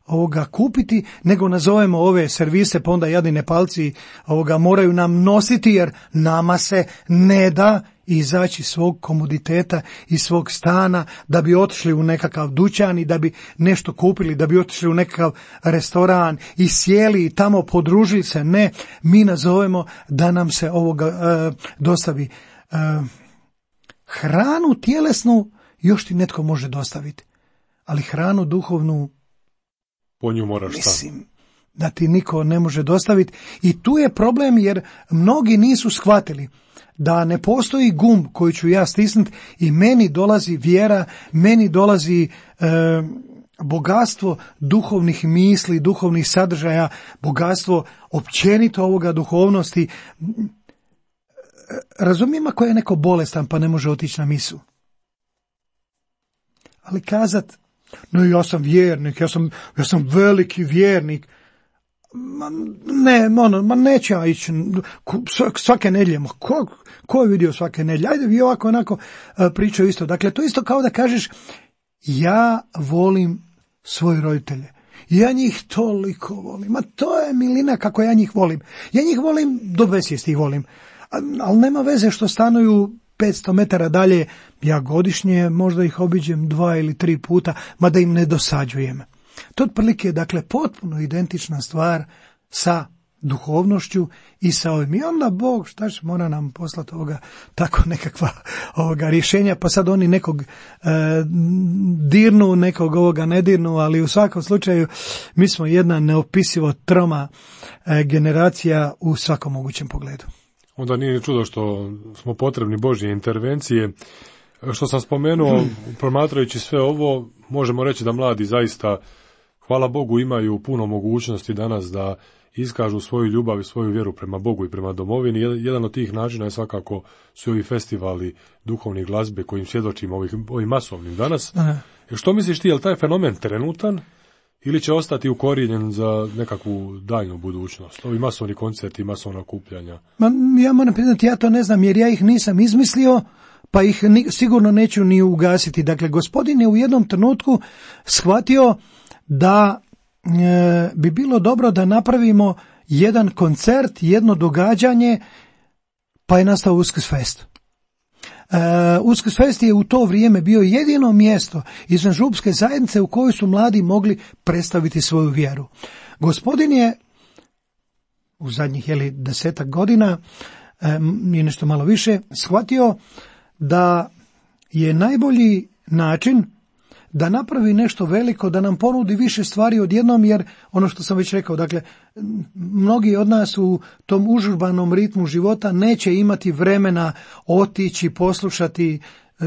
ovoga kupiti, nego nazovemo ove servise, pa onda jadni Nepalci ovoga moraju nam nositi, jer nama se ne da izaći svog komoditeta i svog stana da bi otišli u nekakav dućan i da bi nešto kupili, da bi otišli u nekakav restoran i sjeli i tamo podružili se. Ne, mi nazovemo da nam se ovoga e, dostavi e, hranu tjelesnu, još ti netko može dostaviti, ali hranu duhovnu po nju moraš mislim da ti niko ne može dostaviti. I tu je problem, jer mnogi nisu shvatili da ne postoji gumb koji ću ja stisnuti i meni dolazi vjera, meni dolazi e, bogatstvo duhovnih misli, duhovnih sadržaja, bogatstvo općenito ovoga duhovnosti. Razumijem ako je neko bolestan pa ne može otići na misu. Ali kazat, no ja sam vjernik, ja sam, ja sam veliki vjernik. Ma, ne, ono, ma neće ja ići svake nedjelje. Ma, ko, ko je vidio svake nedjelje? Ajde, vi ovako onako pričaju isto. Dakle, to isto kao da kažeš, ja volim svoje roditelje. Ja njih toliko volim. Ma to je milina kako ja njih volim. Ja njih volim, do besvijesti ih volim. Ali nema veze što stanuju petsto metara dalje, ja godišnje možda ih obiđem dva ili tri puta, mada im ne dosađujem. To otprilike je, dakle, potpuno identična stvar sa duhovnošću i sa ovim. I onda Bog, šta će, mora nam poslati ovoga, tako nekakva ovoga rješenja, pa sad oni nekog e, dirnu, nekog ovoga ne dirnu, ali u svakom slučaju mi smo jedna neopisivo troma e, generacija u svakom mogućem pogledu. Onda nije čudo što smo potrebni Božje intervencije. Što sam spomenuo, promatrajući sve ovo, možemo reći da mladi zaista, hvala Bogu, imaju puno mogućnosti danas da iskažu svoju ljubav i svoju vjeru prema Bogu i prema domovini. Jedan od tih načina je svakako su ovi festivali duhovne glazbe kojim svjedočimo ovim, ovim masovnim danas. Aha. Što misliš ti, je li taj fenomen trenutan ili će ostati ukorijenjen za nekakvu daljnu budućnost? Ovi masovni koncerti, masovna okupljanja. Ma, ja moram priznati, ja to ne znam jer ja ih nisam izmislio, pa ih ni, sigurno neću ni ugasiti. Dakle, gospodin je u jednom trenutku shvatio da e, bi bilo dobro da napravimo jedan koncert, jedno događanje, pa je nastao Uskrsfest. Uh, Uskrsfest je u to vrijeme bio jedino mjesto izvan župske zajednice u kojoj su mladi mogli predstaviti svoju vjeru. Gospodin je u zadnjih jeli, desetak godina um, i nešto malo više shvatio da je najbolji način da napravi nešto veliko, da nam ponudi više stvari odjednom, jer ono što sam već rekao, dakle, mnogi od nas u tom užurbanom ritmu života neće imati vremena otići, poslušati. E,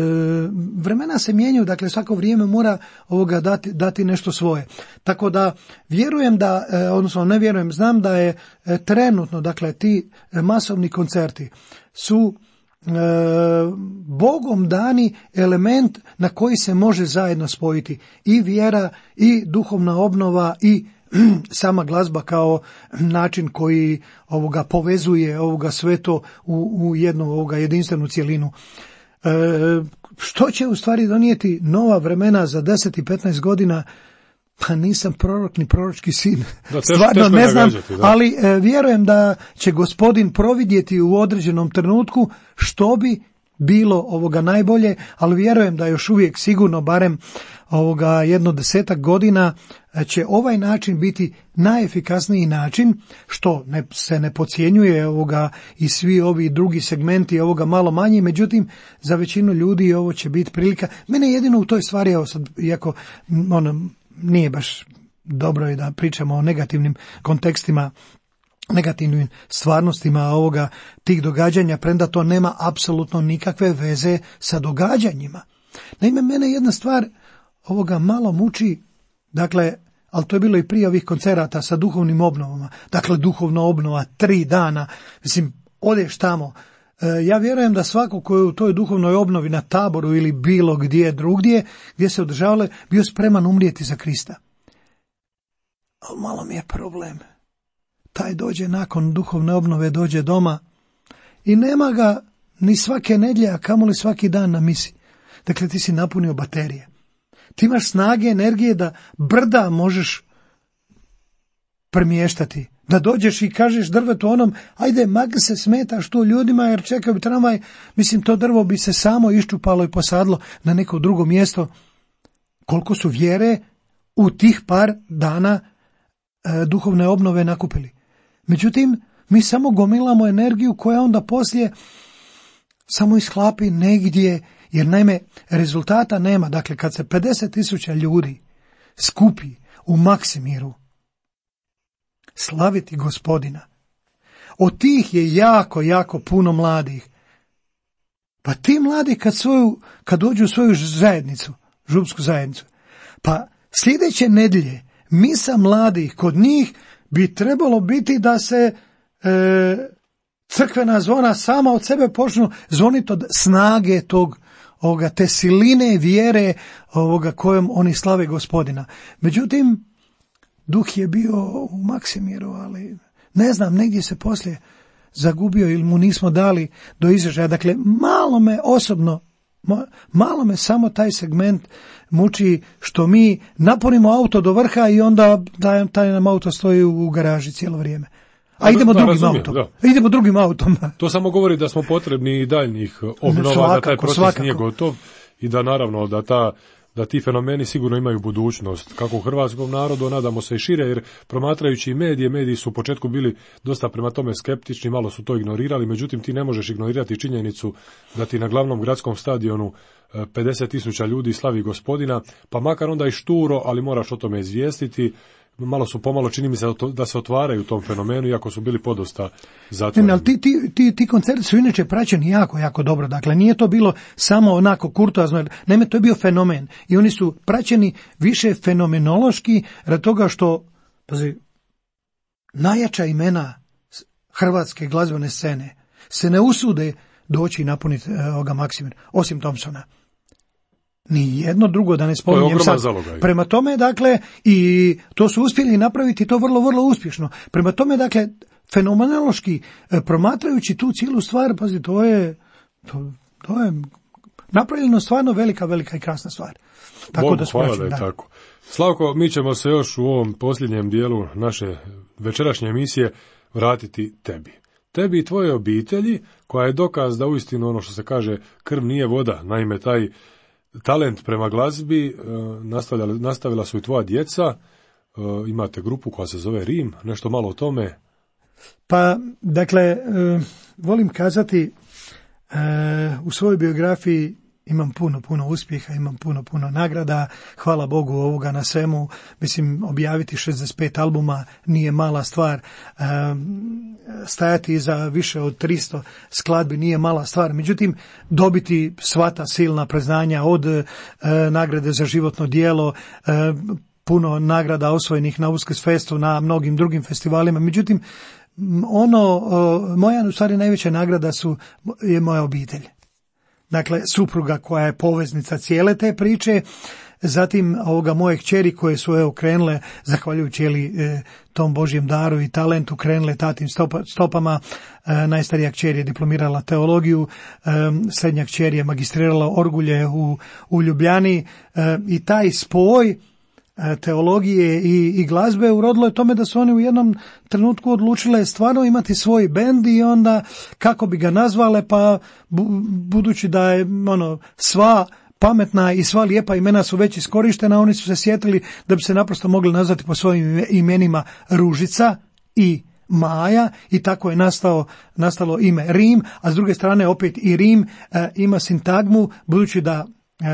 vremena se mijenjaju, dakle, svako vrijeme mora ovoga dati, dati nešto svoje. Tako da vjerujem da, e, odnosno ne vjerujem, znam da je e, trenutno, dakle, ti masovni koncerti su E, Bogom dani element na koji se može zajedno spojiti i vjera i duhovna obnova i sama glazba kao način koji ovoga povezuje ovoga sve to u, u jednu ovoga jedinstvenu cjelinu. E, što će u stvari donijeti nova vremena za deset i petnaest godina? Pa nisam prorok ni proročki sin, da, teško, stvarno teško ne znam, gađati, ali e, vjerujem da će gospodin providjeti u određenom trenutku što bi bilo ovoga najbolje, ali vjerujem da još uvijek sigurno barem ovoga jedno desetak godina će ovaj način biti najefikasniji način, što ne, se ne podcjenjuje ovoga i svi ovi drugi segmenti ovoga malo manji, međutim za većinu ljudi ovo će biti prilika. Mene jedino u toj stvari, evo sad, iako ono, nije baš dobro je da pričamo o negativnim kontekstima, negativnim stvarnostima ovoga tih događanja, premda to nema apsolutno nikakve veze sa događanjima. Naime, mene jedna stvar ovoga malo muči, dakle, ali to je bilo i prije ovih koncerata sa duhovnim obnovama, dakle, duhovna obnova, tri dana, mislim, odeš tamo. E, ja vjerujem da svako ko je u toj duhovnoj obnovi na Taboru ili bilo gdje drugdje, gdje se održavale, bio spreman umrijeti za Krista. Ali malo mi je problem. Taj dođe nakon duhovne obnove, dođe doma i nema ga ni svake nedjelje, a kamoli svaki dan na misi. Dakle, ti si napunio baterije. Ti imaš snage, energije da brda možeš premještati. Da dođeš i kažeš drvetu onom, ajde, mag se smetaš tu ljudima jer čekaju bi tramvaj, mislim, to drvo bi se samo iščupalo i posadlo na neko drugo mjesto. Koliko su vjere u tih par dana e, duhovne obnove nakupili. Međutim, mi samo gomilamo energiju koja onda poslije samo ishlapi negdje, jer naime rezultata nema. Dakle, kad se pedeset tisuća ljudi skupi u Maksimiru slaviti Gospodina, od tih je jako, jako puno mladih. Pa ti mladi kad, svoju, kad dođu u svoju zajednicu, župsku zajednicu, pa sljedeće nedjelje misa mladih kod njih bi trebalo biti da se e, crkvena zvona sama od sebe počnu zvoniti od snage tog, ovoga, te siline vjere ovoga kojom oni slave Gospodina. Međutim, duh je bio u Maksimiru, ali ne znam, negdje se poslije zagubio ili mu nismo dali do izražaja. Dakle, malo me osobno, malo me samo taj segment muči što mi napunimo auto do vrha i onda taj, taj nam auto stoji u garaži cijelo vrijeme. A idemo da, drugim razumijem, autom. Da. Idemo drugim autom. To samo govori da smo potrebni i daljnjih obnova, svakako, da taj proces svakako. Nije gotov i da naravno da ta da ti fenomeni sigurno imaju budućnost, kako u hrvatskom narodu, nadamo se i šire, jer promatrajući medije, mediji su u početku bili dosta prema tome skeptični, malo su to ignorirali, međutim ti ne možeš ignorirati činjenicu da ti na glavnom gradskom stadionu pedeset tisuća ljudi slavi Gospodina, pa makar onda i šturo, ali moraš o tome izvijestiti. Malo su pomalo, čini mi se da se otvaraju u tom fenomenu, iako su bili podosta zatvoreni. Ne, ali ti, ti, ti, ti koncerti su inače praćeni jako, jako dobro. Dakle, nije to bilo samo onako kurtoazno, naime, to je bio fenomen. I oni su praćeni više fenomenološki, radi toga što, pazi, najjača imena hrvatske glazbene scene se ne usude doći i napuniti ovoga Maksimir, osim Thompsona. Ni jedno drugo da ne spominjem sad. Zalogaj. Prema tome, dakle, i to su uspjeli napraviti to vrlo, vrlo uspješno. Prema tome, dakle, fenomenološki promatrajući tu cijelu stvar, pazi, to je, to, to je napravljeno stvarno velika, velika i krasna stvar. Tako Bogu da hvala da je da. tako. Slavko, mi ćemo se još u ovom posljednjem dijelu naše večerašnje emisije vratiti tebi. Tebi i tvoje obitelji, koja je dokaz da uistinu ono što se kaže krv nije voda. Naime, taj talent prema glazbi nastavila, nastavila su i tvoja djeca. Imate grupu koja se zove Rim. Nešto malo o tome. Pa, dakle, volim kazati, u svojoj biografiji imam puno, puno uspjeha, imam puno, puno nagrada, hvala Bogu ovoga na svemu, mislim, objaviti šezdeset pet albuma nije mala stvar, stajati za više od tristo skladbi nije mala stvar, međutim, dobiti sva ta silna priznanja od nagrade za životno djelo, puno nagrada osvojenih na Uskrsfestu, na mnogim drugim festivalima, međutim, ono, moja u stvari najveća nagrada su, je moja obitelj. Dakle, supruga koja je poveznica cijele te priče, zatim ovoga moje kćeri koje su evo krenule, zahvaljujući jeli, tom Božjem daru i talentu, krenule tatim stopa, stopama. E, najstarija kćer je diplomirala teologiju, e, srednja kćer je magistrirala orgulje u, u Ljubljani e, i taj spoj teologije i, i glazbe urodilo je tome da su oni u jednom trenutku odlučile stvarno imati svoj bend i onda kako bi ga nazvale, pa bu, budući da je ono sva pametna i sva lijepa imena su već iskorištena, oni su se sjetili da bi se naprosto mogli nazvati po svojim imenima Ružica i Maja i tako je nastao, nastalo ime Rim, a s druge strane opet i Rim e, ima sintagmu, budući da e,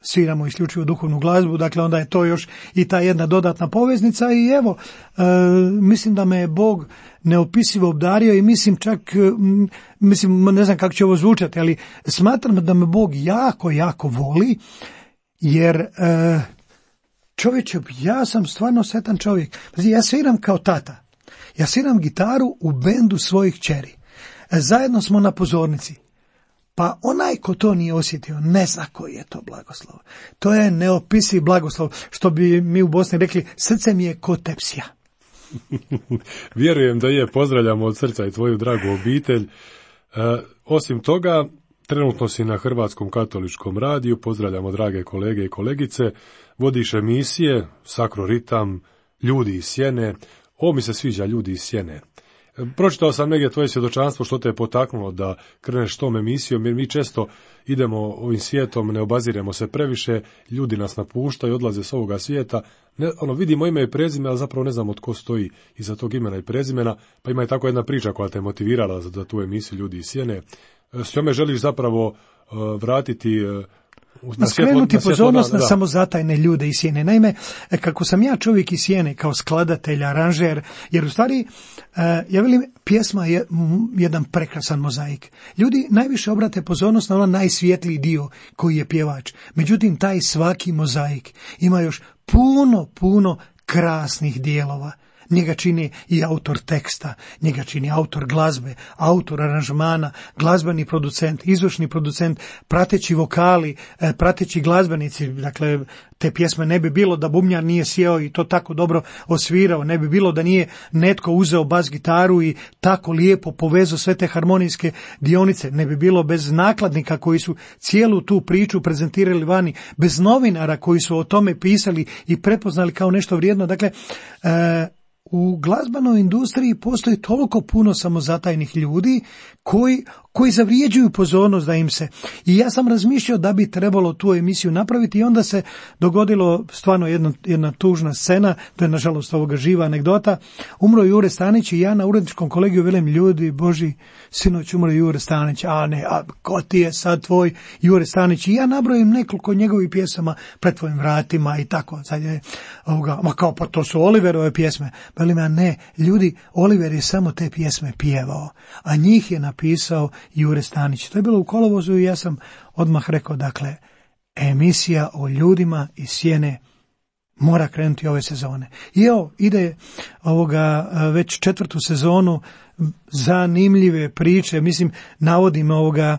sviramo isključivo duhovnu glazbu, dakle onda je to još i ta jedna dodatna poveznica i evo, e, mislim da me je Bog neopisivo obdario i mislim čak, m, mislim ne znam kako će ovo zvučati, ali smatram da me Bog jako, jako voli, jer e, čovječe, ja sam stvarno sretan čovjek. Ja sviram kao tata, ja sviram gitaru u bendu svojih kćeri, e, zajedno smo na pozornici. Pa onaj ko to nije osjetio, ne zna koji je to blagoslov. To je neopisiv blagoslov, što bi mi u Bosni rekli, srce mi je ko tepsija. Vjerujem da je, pozdravljamo od srca i tvoju dragu obitelj. E, osim toga, trenutno si na Hrvatskom katoličkom radiju, pozdravljamo drage kolege i kolegice, vodiš emisije, Sakroritam, Ljudi iz sjene. Ovo mi se sviđa, Ljudi iz sjene. Pročitao sam negdje tvoje svjedočanstvo što te je potaknulo da kreneš tom emisijom, jer mi često idemo ovim svijetom, ne obaziremo se previše, ljudi nas napuštaju, odlaze s ovoga svijeta, ne, ono, vidimo ime i prezime, ali zapravo ne znamo tko stoji iza tog imena i prezimena, pa ima i tako jedna priča koja te motivirala za, za tu emisiju Ljudi iz sjene. S njome želiš zapravo uh, vratiti... Uh, Na skrenuti pozornost na samozatajne ljude iz sjene. Naime, kako sam ja čovjek iz sjene, kao skladatelj, aranžer, jer u stvari, ja velim, pjesma je jedan prekrasan mozaik. Ljudi najviše obrate pozornost na onaj najsvjetliji dio koji je pjevač. Međutim, taj svaki mozaik ima još puno, puno krasnih dijelova. Njega čini i autor teksta, njega čini autor glazbe, autor aranžmana, glazbeni producent, izvršni producent, prateći vokali, prateći glazbenici. Dakle, te pjesme ne bi bilo da bubnjar nije sjeo i to tako dobro osvirao, ne bi bilo da nije netko uzeo bas gitaru i tako lijepo povezao sve te harmonijske dionice, ne bi bilo bez nakladnika koji su cijelu tu priču prezentirali vani, bez novinara koji su o tome pisali i prepoznali kao nešto vrijedno. Dakle, e, u glazbenoj industriji postoji toliko puno samozatajnih ljudi koji, koji zavrijeđuju pozornost da im se. I ja sam razmišljao da bi trebalo tu emisiju napraviti i onda se dogodilo stvarno jedna, jedna tužna scena, to je nažalost ovoga živa anegdota. Umro Jure Stanić i ja na uredničkom kolegiju velim, ljudi Boži, sinoć umro Jure Stanić, a ne, a ko ti je sad tvoj Jure Stanić? I ja nabrojim nekoliko njegovih pjesama Pred tvojim vratima i tako. Sad je, ovoga, ma kao pa to su Oliverove pjesme. Velim, a ne, ljudi, Oliver je samo te pjesme pjevao, a njih je napisao Jure Stanić. To je bilo u kolovozu i ja sam odmah rekao, dakle, emisija o ljudima iz sjene mora krenuti ove sezone. I evo, ide ovoga već četvrtu sezonu zanimljive priče, mislim, navodim ovoga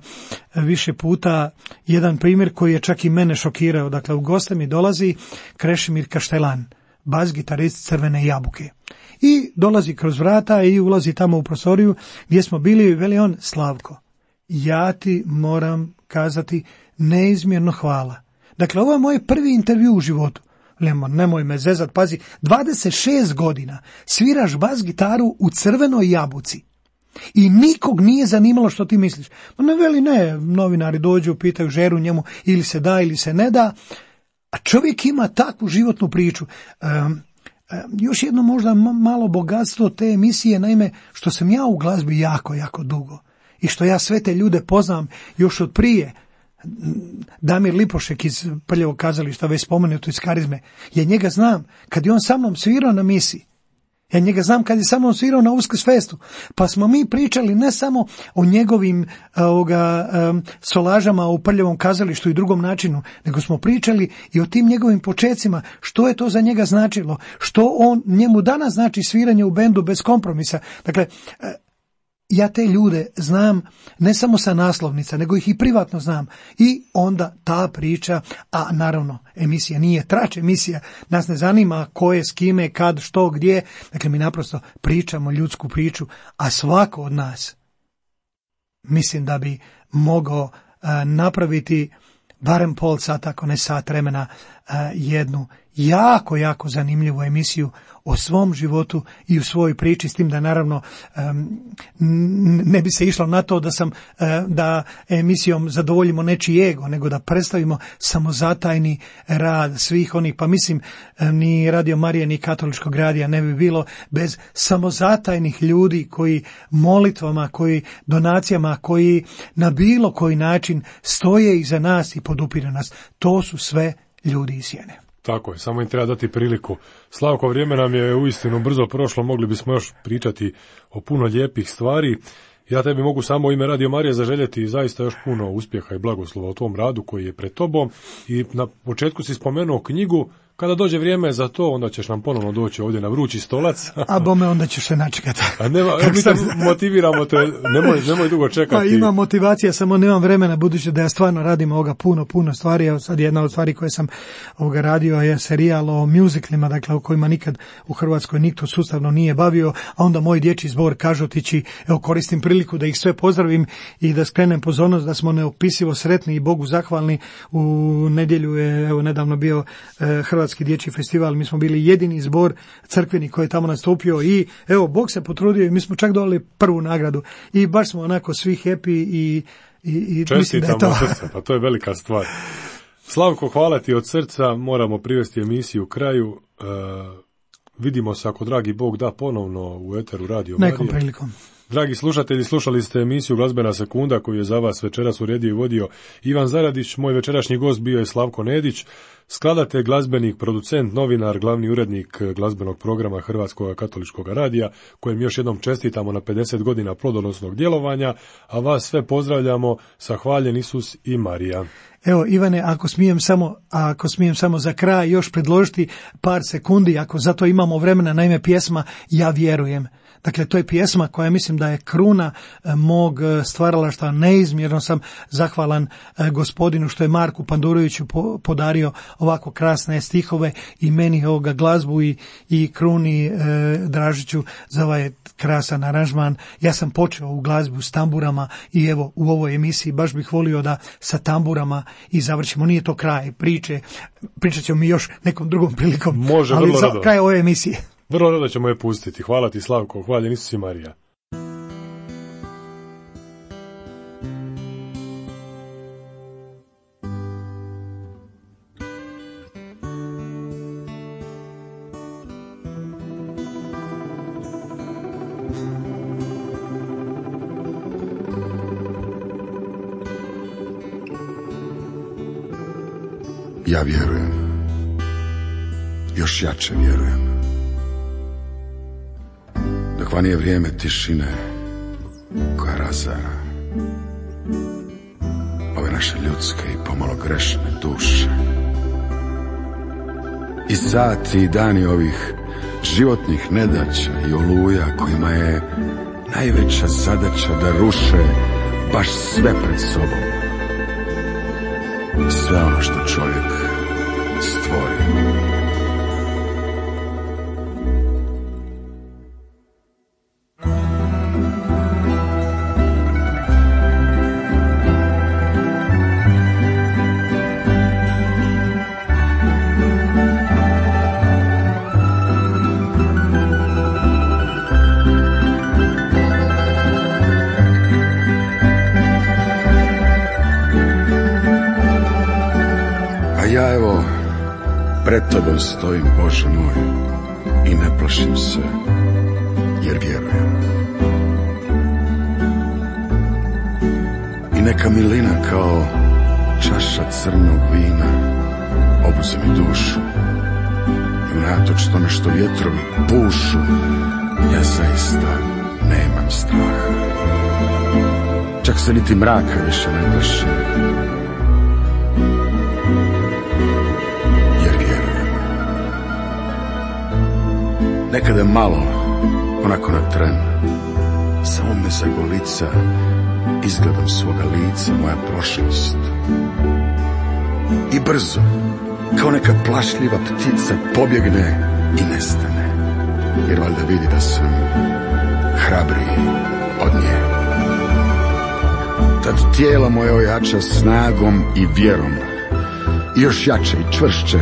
više puta jedan primjer koji je čak i mene šokirao. Dakle, u goste mi dolazi Krešimir Kaštelan, bas gitarist Crvene jabuke. I dolazi kroz vrata i ulazi tamo u prostoriju gdje smo bili, veli on, Slavko, ja ti moram kazati neizmjerno hvala. Dakle, ovo je moj prvi intervju u životu. Lemon, nemoj me zezat, pazi, dvadeset šest godina sviraš bas gitaru u Crvenoj jabuci i nikog nije zanimalo što ti misliš. No ne veli, ne, novinari dođu, pitaju žeru njemu ili se da ili se ne da, a čovjek ima takvu životnu priču. Um, još jedno možda malo bogatstvo te emisije, naime, što sam ja u glazbi jako, jako dugo i što ja sve te ljude poznam još od prije. Damir Lipošek iz Prljevog kazališta, već spomenuto iz Karizme, ja njega znam kad je on sa mnom svirao na misi, ja njega znam kad je sa mnom svirao na Uskrsfestu, pa smo mi pričali ne samo o njegovim ovoga, um, solažama u Prljevom kazalištu i drugom načinu, nego smo pričali i o tim njegovim počecima, što je to za njega značilo, što on njemu danas znači sviranje u bendu bez kompromisa. Dakle, ja te ljude znam ne samo sa naslovnica, nego ih i privatno znam. I onda ta priča, a naravno emisija nije trač emisija, nas ne zanima ko je, s kime, kad, što, gdje. Dakle, mi naprosto pričamo ljudsku priču, a svako od nas mislim da bi mogao uh, napraviti barem pol sata, ako ne sat vremena, uh, jednu jako, jako zanimljivu emisiju o svom životu i u svojoj priči, s tim da naravno um, ne bi se išlo na to da sam uh, da emisijom zadovoljimo nečiji ego, nego da predstavimo samozatajni rad svih onih, pa mislim ni Radio Marije ni Katoličkog radija ne bi bilo bez samozatajnih ljudi koji molitvama, koji donacijama, koji na bilo koji način stoje iza nas i podupiru nas. To su sve ljudi iz sjene. Tako je, samo im treba dati priliku. Slavko, vrijeme nam je uistinu brzo prošlo, mogli bismo još pričati o puno lijepih stvari. Ja tebi mogu samo u ime Radio Marije zaželjeti zaista još puno uspjeha i blagoslova u tom radu koji je pred tobom. I na početku si spomenuo knjigu. Kada dođe vrijeme za to, onda ćeš nam ponovno doći ovdje na vrući stolac. A bome, onda ćeš se načekati. A nema, mi te motiviramo te, nemoj, nemoj dugo čekati. Pa imam motivacija, samo nemam vremena, budući da ja stvarno radim ovoga puno, puno stvari. Evo sad jedna od stvari koje sam ovoga radio je serijal o muziklima, dakle o kojima nikad u Hrvatskoj nitko sustavno nije bavio, a onda moj dječji zbor Kažotići, evo koristim priliku da ih sve pozdravim i da skrenem pozornost da smo neopisivo sretni i Bogu zahvalni. U nedjelju je evo nedavno bio eh, Hrvatski dječji festival, mi smo bili jedini zbor crkveni koji je tamo nastupio i evo, Bog se potrudio i mi smo čak dobili prvu nagradu i baš smo onako svi happy i, i, i mislim da je to. Srce, pa to je velika stvar. Slavko, hvala ti od srca, moramo privesti emisiju u kraju. Uh, vidimo se, ako dragi Bog da, ponovno u eteru Radio Marije. Nekom prilikom. Dragi slušatelji, slušali ste emisiju Glazbena sekunda koju je za vas večeras uredio i vodio Ivan Zaradić. Moj večerašnji gost bio je Slavko Nedić, skladatelj, glazbenik, producent, novinar, glavni urednik glazbenog programa Hrvatskog katoličkog radija, kojem još jednom čestitamo na pedeset godina plodonosnog djelovanja, a vas sve pozdravljamo sa Hvaljen Isus i Marija. Evo, Ivane, ako smijem samo, ako smijem samo za kraj još predložiti par sekundi, ako zato imamo vremena, naime pjesma Ja vjerujem. Dakle, to je pjesma koja mislim da je kruna mog stvaralaštva. Neizmjerno sam zahvalan gospodinu što je Marku Panduroviću podario ovako krasne stihove i meni ovoga glazbu i, i kruni e, Dražiću za ovaj krasan aranžman. Ja sam počeo u glazbu s tamburama i evo u ovoj emisiji baš bih volio da sa tamburama i završimo. Nije to kraj priče, pričat ćemo mi još nekom drugom prilikom, može, ali za rado. Kraj ove emisije. Vrlo rado ćemo je pustiti. Hvala ti, Slavko. Hvaljen Isus i Marija. Ja vjerujem. Još jače vjerujem. Dok van je vrijeme tišine koja razara ove naše ljudske i pomalo grešne duše. I sati i dani ovih životnih nedaća i oluja kojima je najveća zadaća da ruše baš sve pred sobom. Sve ono što čovjek stvori. Ja evo pred tobom stojim, Bože moj, i ne plašim se, jer vjerujem. I neka milina kao čaša crnog vina obuze mi dušu. I unatoč tome što vjetrovi pušu, ja zaista nemam straha. Čak se niti mraka više ne plašim. Nekada malo, onako na tren, samo me zagolica izgledom svoga lica moja prošlost. I brzo, kao neka plašljiva ptica, pobjegne i nestane, jer valjda vidi da sam hrabriji od nje. Tad tijelo moje ojača snagom i vjerom, i još jače i čvršće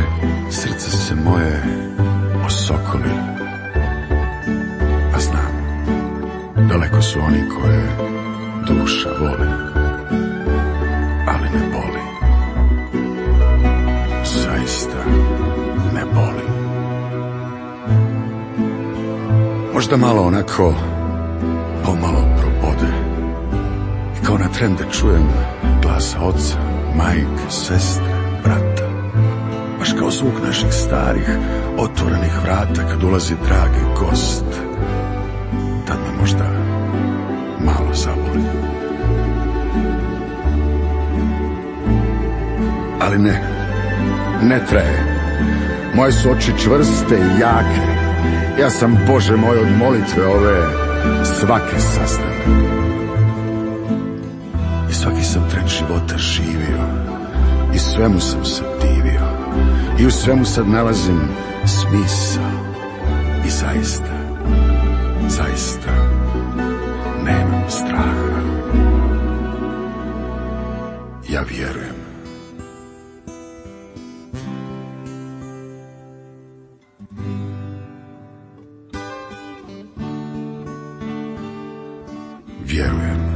srce se moje osokoli. Daleko su oni koje duša voli, ali ne boli. Zaista ne boli. Možda malo onako pomalo probode i kao na tren da čujem glasa oca, majke, sestre, brata. Baš kao zvuk naših starih otvorenih vrata kad ulazi dragi gost. Tad me možda malo zaboli. Ali ne, ne traje. Moje su oči čvrste i jake. Ja sam, Bože moj, od molitve ove svake sastavio. I svaki sam tren života živio. I svemu sam se divio. I u svemu sad nalazim smisao. I zaista, zaista nemam straha. Ja vjerujem. Vjerujem.